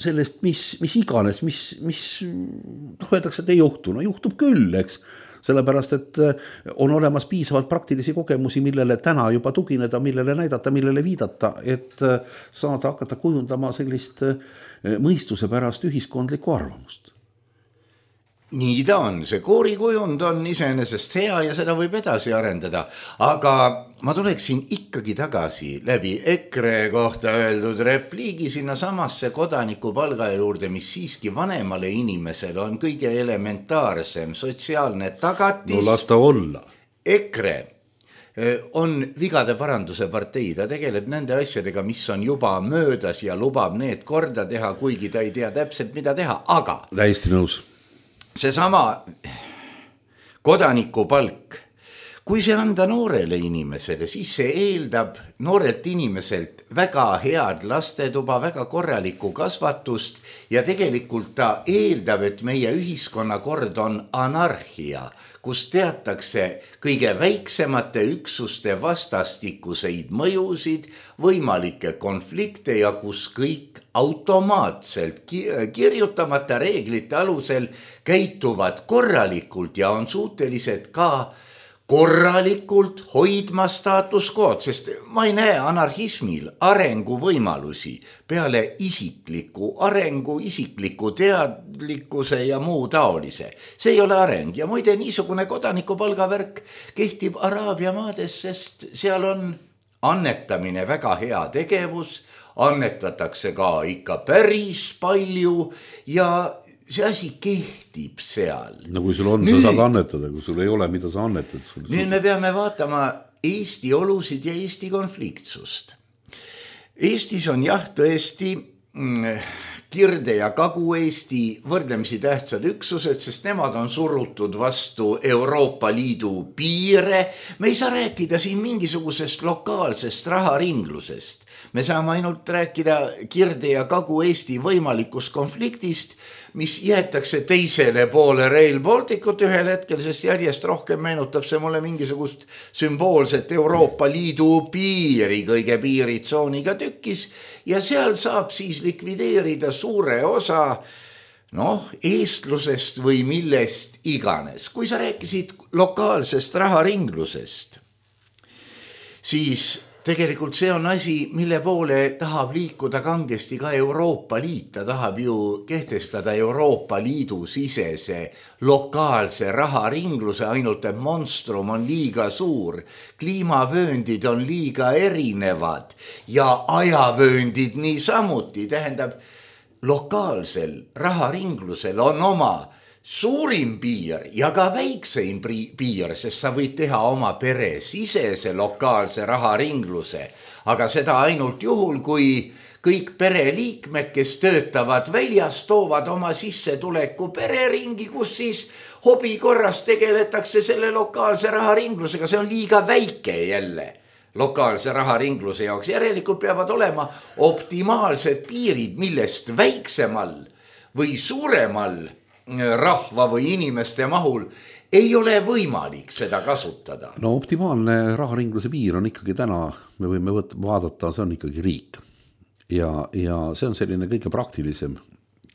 sellest, mis, mis iganes, mis, mis noh, öeldakse, et ei juhtu. No juhtub küll, eks. Sellepärast, et on olemas piisavalt praktilisi kogemusi, millele täna juba tugineda, millele näidata, millele viidata, et saada hakata kujundama sellist mõistuse pärast ühiskondlikku arvamust. Nii ta on, see koorikujund on iseenesest hea ja seda võib edasi arendada, aga ma tuleksin ikkagi tagasi läbi EKRE kohta öeldud repliigi sinna samasse kodanikupalga juurde, mis siiski vanemale inimesele on kõige elementaarsem sotsiaalne tagatis. No lasta olla. EKRE on vigade paranduse partei, ta tegeleb nende asjadega, mis on juba möödas ja lubab need korda teha, kuigi ta ei tea täpselt, mida teha, aga täiesti nõus. See sama kodanikupalk, kui see anda noorele inimesele, siis see eeldab noorelt inimeselt väga head lastetuba, väga korralikku kasvatust ja tegelikult ta eeldab, et meie ühiskonnakord on anarhia, kus teatakse kõige väiksemate üksuste vastastikuseid mõjusid, võimalikke konflikte ja kus kõik automaatselt kirjutamata reeglite alusel käituvad korralikult ja on suutelised ka korralikult hoidma status quo'd, sest ma ei näe anarhismil arengu võimalusi peale isikliku arengu, isikliku teadlikkuse ja muu taolise. See ei ole areng ja muide niisugune kodanikupalgavärk kehtib Araabia maades, sest seal on annetamine väga hea tegevus, annetatakse ka ikka päris palju ja see asi kehtib seal. No kui sul on, nüüd, sa saad annetada, kui sul ei ole, mida sa annetad. Sul, nüüd me peame vaatama Eesti olusid ja Eesti konfliktsust. Eestis on jah tõesti Kirde- ja Kagu-Eesti võrdlemisi tähtsad üksused, sest nemad on surutud vastu Euroopa Liidu piire. Me ei saa rääkida siin mingisugusest lokaalsest raharinglusest. Me saame ainult rääkida Kirde- ja Kagu-Eesti võimalikust konfliktist, mis jäetakse teisele poole Rail Balticut ühel hetkel, sest järjest rohkem meenutab see mulle mingisugust sümboolset Euroopa Liidu piiri, kõige piiritsooniga tükis, ja seal saab siis likvideerida suure osa noh, eestlusest või millest iganes. Kui sa rääkisid lokaalsest raharinglusest, siis tegelikult see on asi, mille poole tahab liikuda kangesti ka Euroopa Liit. Ta tahab ju kehtestada Euroopa Liidu sisese lokaalse raharingluse, ainult et monstrum on liiga suur, kliimavööndid on liiga erinevad ja ajavööndid niisamuti. Tähendab, lokaalsel raharinglusel on oma suurim piir ja ka väikseim piir, sest sa võid teha oma pere sisese lokaalse raharingluse, aga seda ainult juhul, kui kõik pereliikmed, kes töötavad väljas, toovad oma sissetuleku pereringi, kus siis hobi korras tegeletakse selle lokaalse raharinglusega. See on liiga väike jälle lokaalse raharingluse jaoks. Järelikult peavad olema optimaalsed piirid, millest väiksemal või suuremal rahva või inimeste mahul ei ole võimalik seda kasutada. No optimaalne raharingluse piir on ikkagi täna, me võime võt- vaadata, see on ikkagi riik. Ja, ja see on selline kõige praktilisem.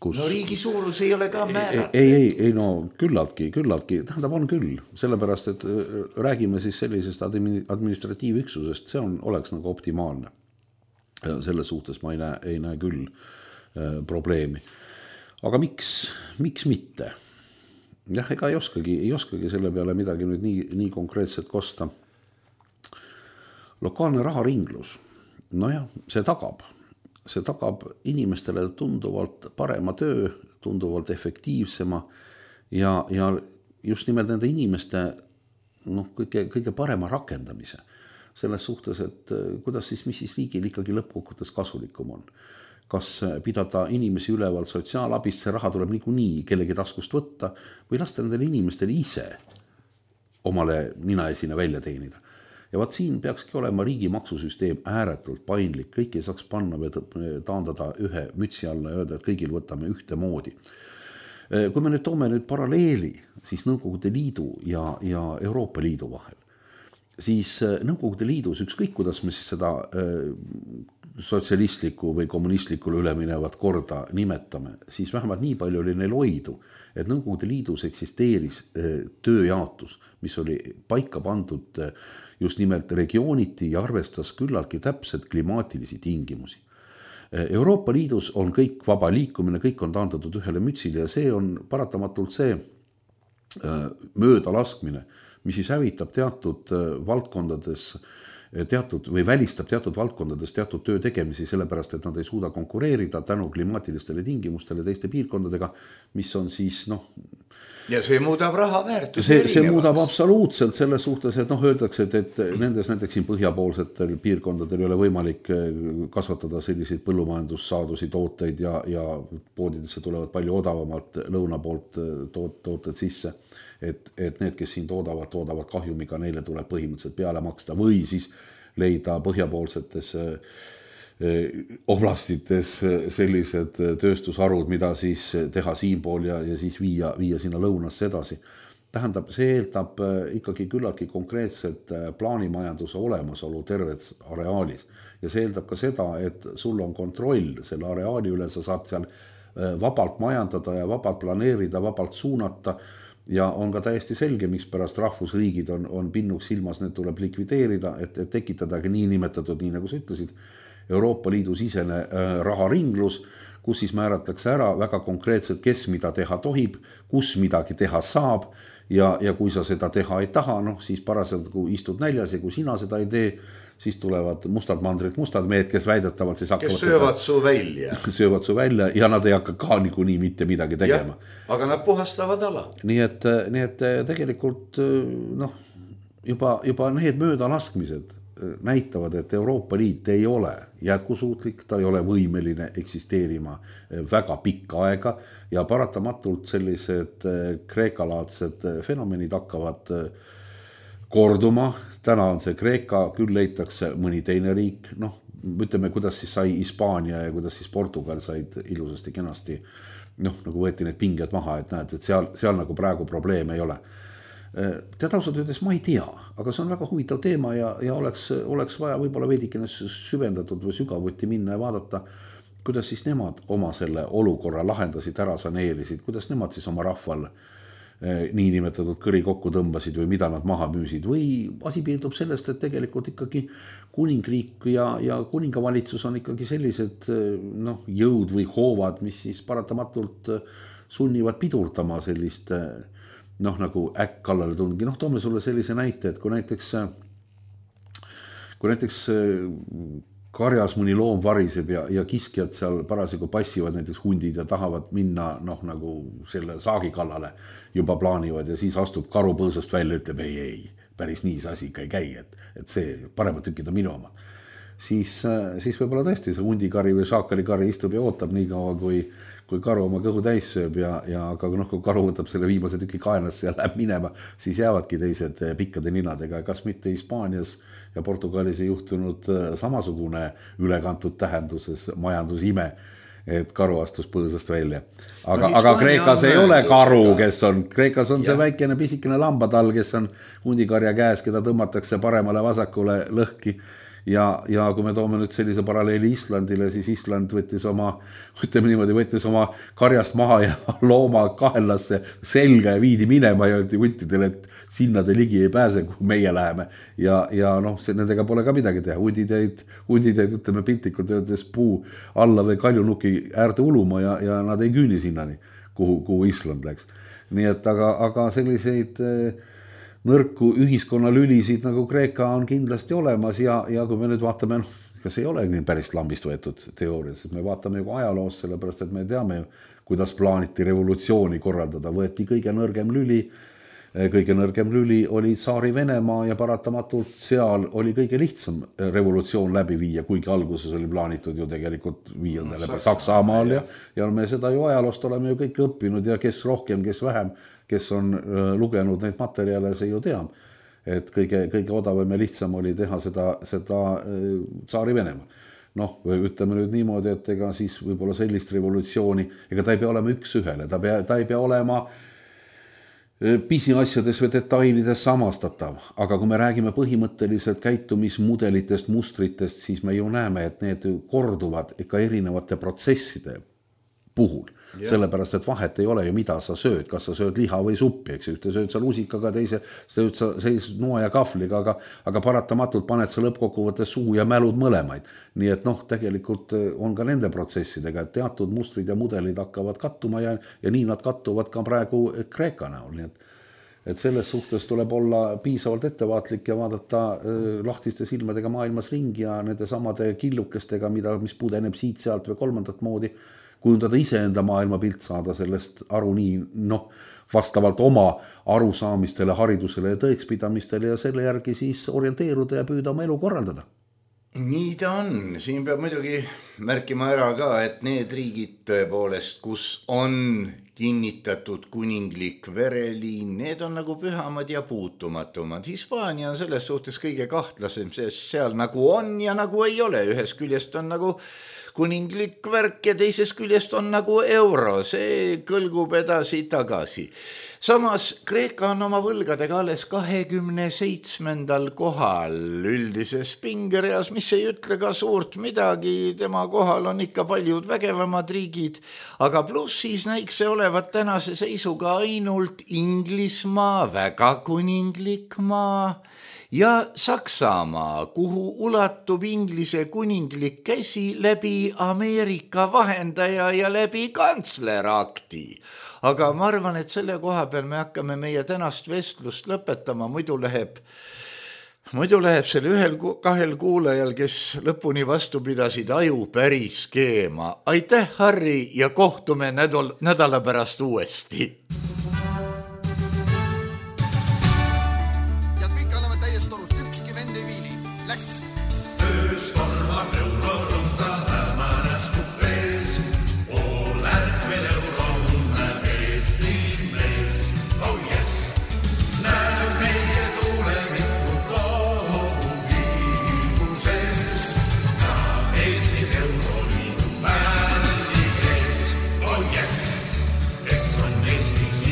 Kus... No riigi suurus ei ole ka määratud. Ei, ei, ei, no küllaltki, küllaltki, tähendab on küll. Sellepärast, et räägime siis sellisest administratiivüksusest, see on, oleks nagu optimaalne. Selles suhtes ma ei näe, ei näe küll äh, probleemi. Aga miks, miks mitte? Jah, ega ei oskagi, ei oskagi selle peale midagi nüüd nii, nii konkreetselt kosta. Lokaalne raharinglus, no jah, see tagab. See tagab inimestele tunduvalt parema töö, tunduvalt efektiivsema ja, ja just nimelt nende inimeste no, kõige, kõige parema rakendamise. Selles suhtes, et kuidas siis, mis siis riigil ikkagi lõppkokkuvõttes kasulikum on. Kas pidada inimesi üleval sotsiaalabist, see raha tuleb niikuinii kellegi taskust võtta või lasta nendele inimestele ise omale nina esine välja teenida. Ja vaat siin peakski olema riigi maksusüsteem ääretult paindlik, kõik ei saaks panna või taandada ühe mütsi alla ja öelda, et kõigil võtame ühte moodi. Kui me nüüd toome nüüd paralleeli siis Nõukogude Liidu ja, ja Euroopa Liidu vahel, siis Nõukogude Liidus ükskõik, kuidas me siis seda sotsialistliku või kommunistlikule üleminevat korda nimetame, siis vähemalt nii palju oli neil hoidu, et Nõukogude Liidus eksisteeris tööjaotus, mis oli paika pandud just nimelt regiooniti ja arvestas küllaltki täpselt klimaatilisi tingimusi. Euroopa Liidus on kõik vaba liikumine, kõik on taandatud ühele mütsile ja see on paratamatult see mööda laskmine, mis siis hävitab teatud valdkondades teatud või välistab teatud valdkondades teatud töö tegemisi, sellepärast, et nad ei suuda konkureerida tänu klimaatilistele tingimustele teiste piirkondadega, mis on siis, noh... Ja see muudab raha väärtus see, see muudab absoluutselt selles suhtes, et noh, öeldakse, et, et nendes näiteks siin põhjapoolsetel piirkondadel ei ole võimalik kasvatada selliseid põllumajandussaadusi tooteid ja, ja poodidesse tulevad palju odavamalt lõuna poolt toot, tooted sisse. Et, et need, kes siin toodavad, toodavad kahjumiga, neile tuleb põhimõtteliselt peale maksta või siis leida põhjapoolsetes oblastites sellised tööstusharud, mida siis teha siinpool ja, ja siis viia, viia sinna lõunasse edasi. Tähendab, see eeldab ikkagi küllaltki konkreetset plaanimajanduse olemasolu terves areaalis ja see eeldab ka seda, et sul on kontroll selle areaali üle, sa saad seal vabalt majandada ja vabalt planeerida, vabalt suunata. Ja on ka täiesti selge, miks pärast rahvusriigid on, on pinnuks silmas, need tuleb likvideerida, et, et tekitadagi nii nimetatud, nii nagu sa ütlesid, Euroopa Liidu sisene äh, raharinglus, kus siis määratakse ära väga konkreetselt, kes mida teha tohib, kus midagi teha saab ja, ja kui sa seda teha ei taha, noh, siis parasjagu kui istud näljas ja kui sina seda ei tee, siis tulevad mustad mandrid, mustad mehed, kes väidetavalt siis hakkavad... Kes söövad su välja. Söövad su välja ja nad ei hakka ka niikuinii mitte midagi tegema. Ja, aga nad puhastavad ala. Nii et, nii et tegelikult noh, juba, juba need möödalaskmised näitavad, et Euroopa Liit ei ole jätkusuutlik, ta ei ole võimeline eksisteerima väga pikka aega ja paratamatult sellised kreekalaadsed fenomenid hakkavad korduma. Täna on see Kreeka, küll leitakse mõni teine riik, noh, ütleme, kuidas siis sai Hispaania ja kuidas siis Portugal said ilusasti kenasti, noh, nagu võeti need pinged maha, et näed, et seal, seal nagu praegu probleeme ei ole. Tead ausalt öeldes ma ei tea, aga see on väga huvitav teema ja, ja oleks, oleks vaja võib-olla veidikene süvendatud või sügavuti minna ja vaadata, kuidas siis nemad oma selle olukorra lahendasid, ära saneerisid, kuidas nemad siis oma rahval niinimetatud kõri kokku tõmbasid või mida nad maha müüsid või asi piirdub sellest, et tegelikult ikkagi kuningriik ja, ja kuningavalitsus on ikkagi sellised noh, jõud või hoovad, mis siis paratamatult sunnivad pidurdama sellist noh, nagu äkk kallale tungi. Noh, toome sulle sellise näite, et kui näiteks, kui näiteks karjas mõni loom variseb ja, ja kiskjad seal parasjagu passivad näiteks hundid ja tahavad minna noh, nagu selle saagi kallale juba plaanivad ja siis astub karu põõsast välja, ütleb ei, ei, päris nii see asi ikka ei käi, et, et see paremad tükid on minu oma. Siis, siis võib-olla tõesti see hundikari või šaakalikari istub ja ootab nii kaua, kui, kui karu oma kõhu täis sööb ja, ja aga noh, kui karu võtab selle viimase tüki kaenasse ja läheb minema, siis jäävadki teised pikkade ninadega. Kas mitte Hispaanias ja Portugalis ei juhtunud samasugune ülekantud tähenduses majandusime, et karu astus põõsast välja. Aga, no, aga Kreekas ei ole karu, kes on, Kreekas on ja. see väikene pisikene lambatall, kes on hundikarja käes, keda tõmmatakse paremale vasakule lõhki. Ja, ja kui me toome nüüd sellise paralleeli Islandile, siis Island võttis oma, ütleme niimoodi, võttis oma karjast maha ja looma kaelasse selga ja viidi minema ja öeldi huntidele, et sinna te ligi ei pääse, kui meie läheme. Ja, ja noh, see, nendega pole ka midagi teha. Hundid jäid, hundid jäid, ütleme piltlikult öeldes puu alla või kaljunuki äärde uluma ja, ja nad ei küüni sinnani, kuhu, kuhu Island läks. Nii et aga, aga selliseid nõrku ühiskonnalülisid nagu Kreeka on kindlasti olemas ja, ja kui me nüüd vaatame, noh, kas ei ole nii päris lambist võetud teoorias, et me vaatame ju ajaloos, sellepärast et me teame ju, kuidas plaaniti revolutsiooni korraldada, võeti kõige nõrgem lüli, kõige nõrgem lüli oli Tsaari Venemaa ja paratamatult seal oli kõige lihtsam revolutsioon läbi viia, kuigi alguses oli plaanitud ju tegelikult viienda läbi Saksamaal ja, ja me seda ju ajaloost oleme ju kõik õppinud ja kes rohkem, kes vähem, kes on lugenud neid materjale, see ju teab, et kõige, kõige odavam ja lihtsam oli teha seda, seda Tsaari Venemaal. Noh, ütleme nüüd niimoodi, et ega siis võib-olla sellist revolutsiooni, ega ta ei pea olema üks ühele, ta, pea, ta ei pea olema pisiasjades või detailides samastatav, aga kui me räägime põhimõtteliselt käitumismudelitest, mustritest, siis me ju näeme, et need korduvad ikka erinevate protsesside puhul. Ja. Sellepärast, et vahet ei ole ju, mida sa sööd, kas sa sööd liha või suppi, eks ühte sööd sa lusikaga, teise sööd sa sellise noa ja kahvliga, aga, aga paratamatult paned sa lõppkokkuvõttes suhu ja mälud mõlemaid. Nii et noh, tegelikult on ka nende protsessidega, et teatud mustrid ja mudelid hakkavad kattuma ja, ja nii nad kattuvad ka praegu Kreeka näol. Nii et, et selles suhtes tuleb olla piisavalt ettevaatlik ja vaadata äh, lahtiste silmadega maailmas ringi ja nende samade killukestega, mida, mis pudeneb siit sealt või kolmandat moodi, kujundada iseenda maailmapilt, saada sellest aru nii, noh, vastavalt oma arusaamistele, haridusele ja tõekspidamistele ja selle järgi siis orienteeruda ja püüda oma elu korraldada. Nii ta on. Siin peab muidugi märkima ära ka, et need riigid tõepoolest, kus on kinnitatud kuninglik vereliin, need on nagu pühamad ja puutumatumad. Hispaania on selles suhtes kõige kahtlasem, sest seal nagu on ja nagu ei ole. Ühes küljest on nagu kuninglik värk ja teises küljest on nagu euro, see kõlgub edasi tagasi. Samas Kreeka on oma võlgadega alles kahekümne seitsmendal kohal üldises pingereas, mis ei ütle ka suurt midagi, tema kohal on ikka paljud vägevamad riigid, aga pluss siis näiks see olevat tänase seisuga ainult Inglismaa, väga kuninglik maa, ja Saksamaa, kuhu ulatub Inglise kuninglik käsi läbi Ameerika vahendaja ja läbi kantslerakti. Aga ma arvan, et selle koha peal me hakkame meie tänast vestlust lõpetama, muidu läheb, muidu läheb selle ühel kahel kuulajal, kes lõpuni vastu pidasid, aju päris keema. Aitäh, Harri, ja kohtume nädal, nädala pärast uuesti. Yes, yes, on Eestis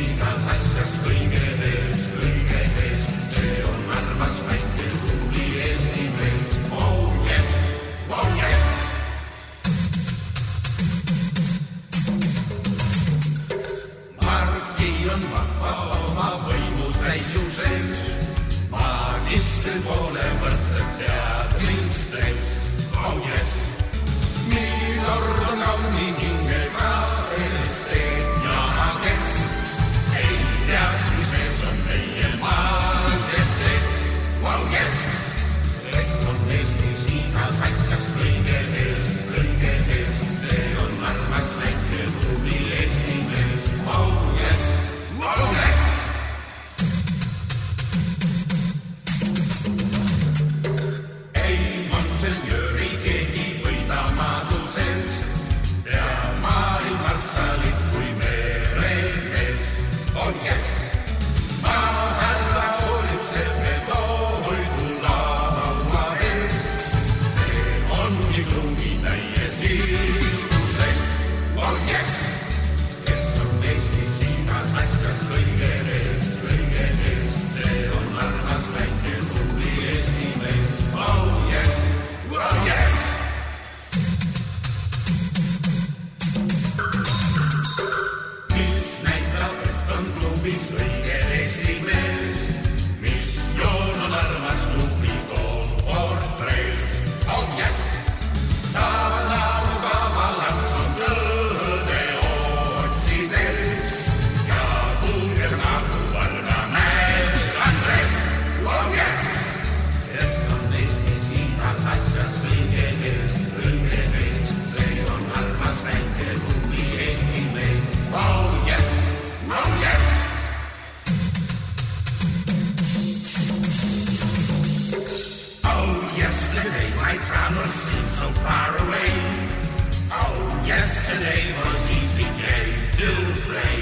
yesterday was easy day to play.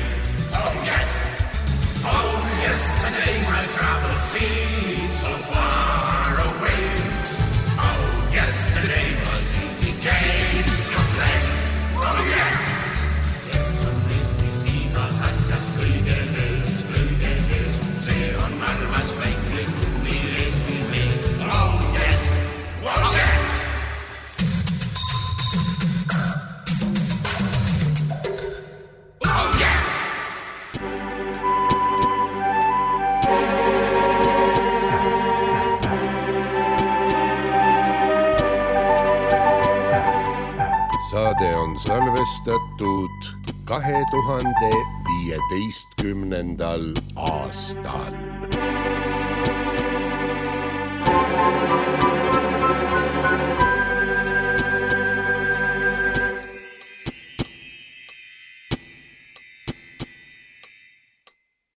Oh yes, oh yesterday my travel seemed so far away. Oh yesterday was easy day to play. Oh yes. Yes on Eestis igas asjas kõige eest, kõige eest, see on armas väike kummi Eesti mees. Oh yes, oh yes. Saade on salvestatud kahe tuhande viieteistkümnendal aastal.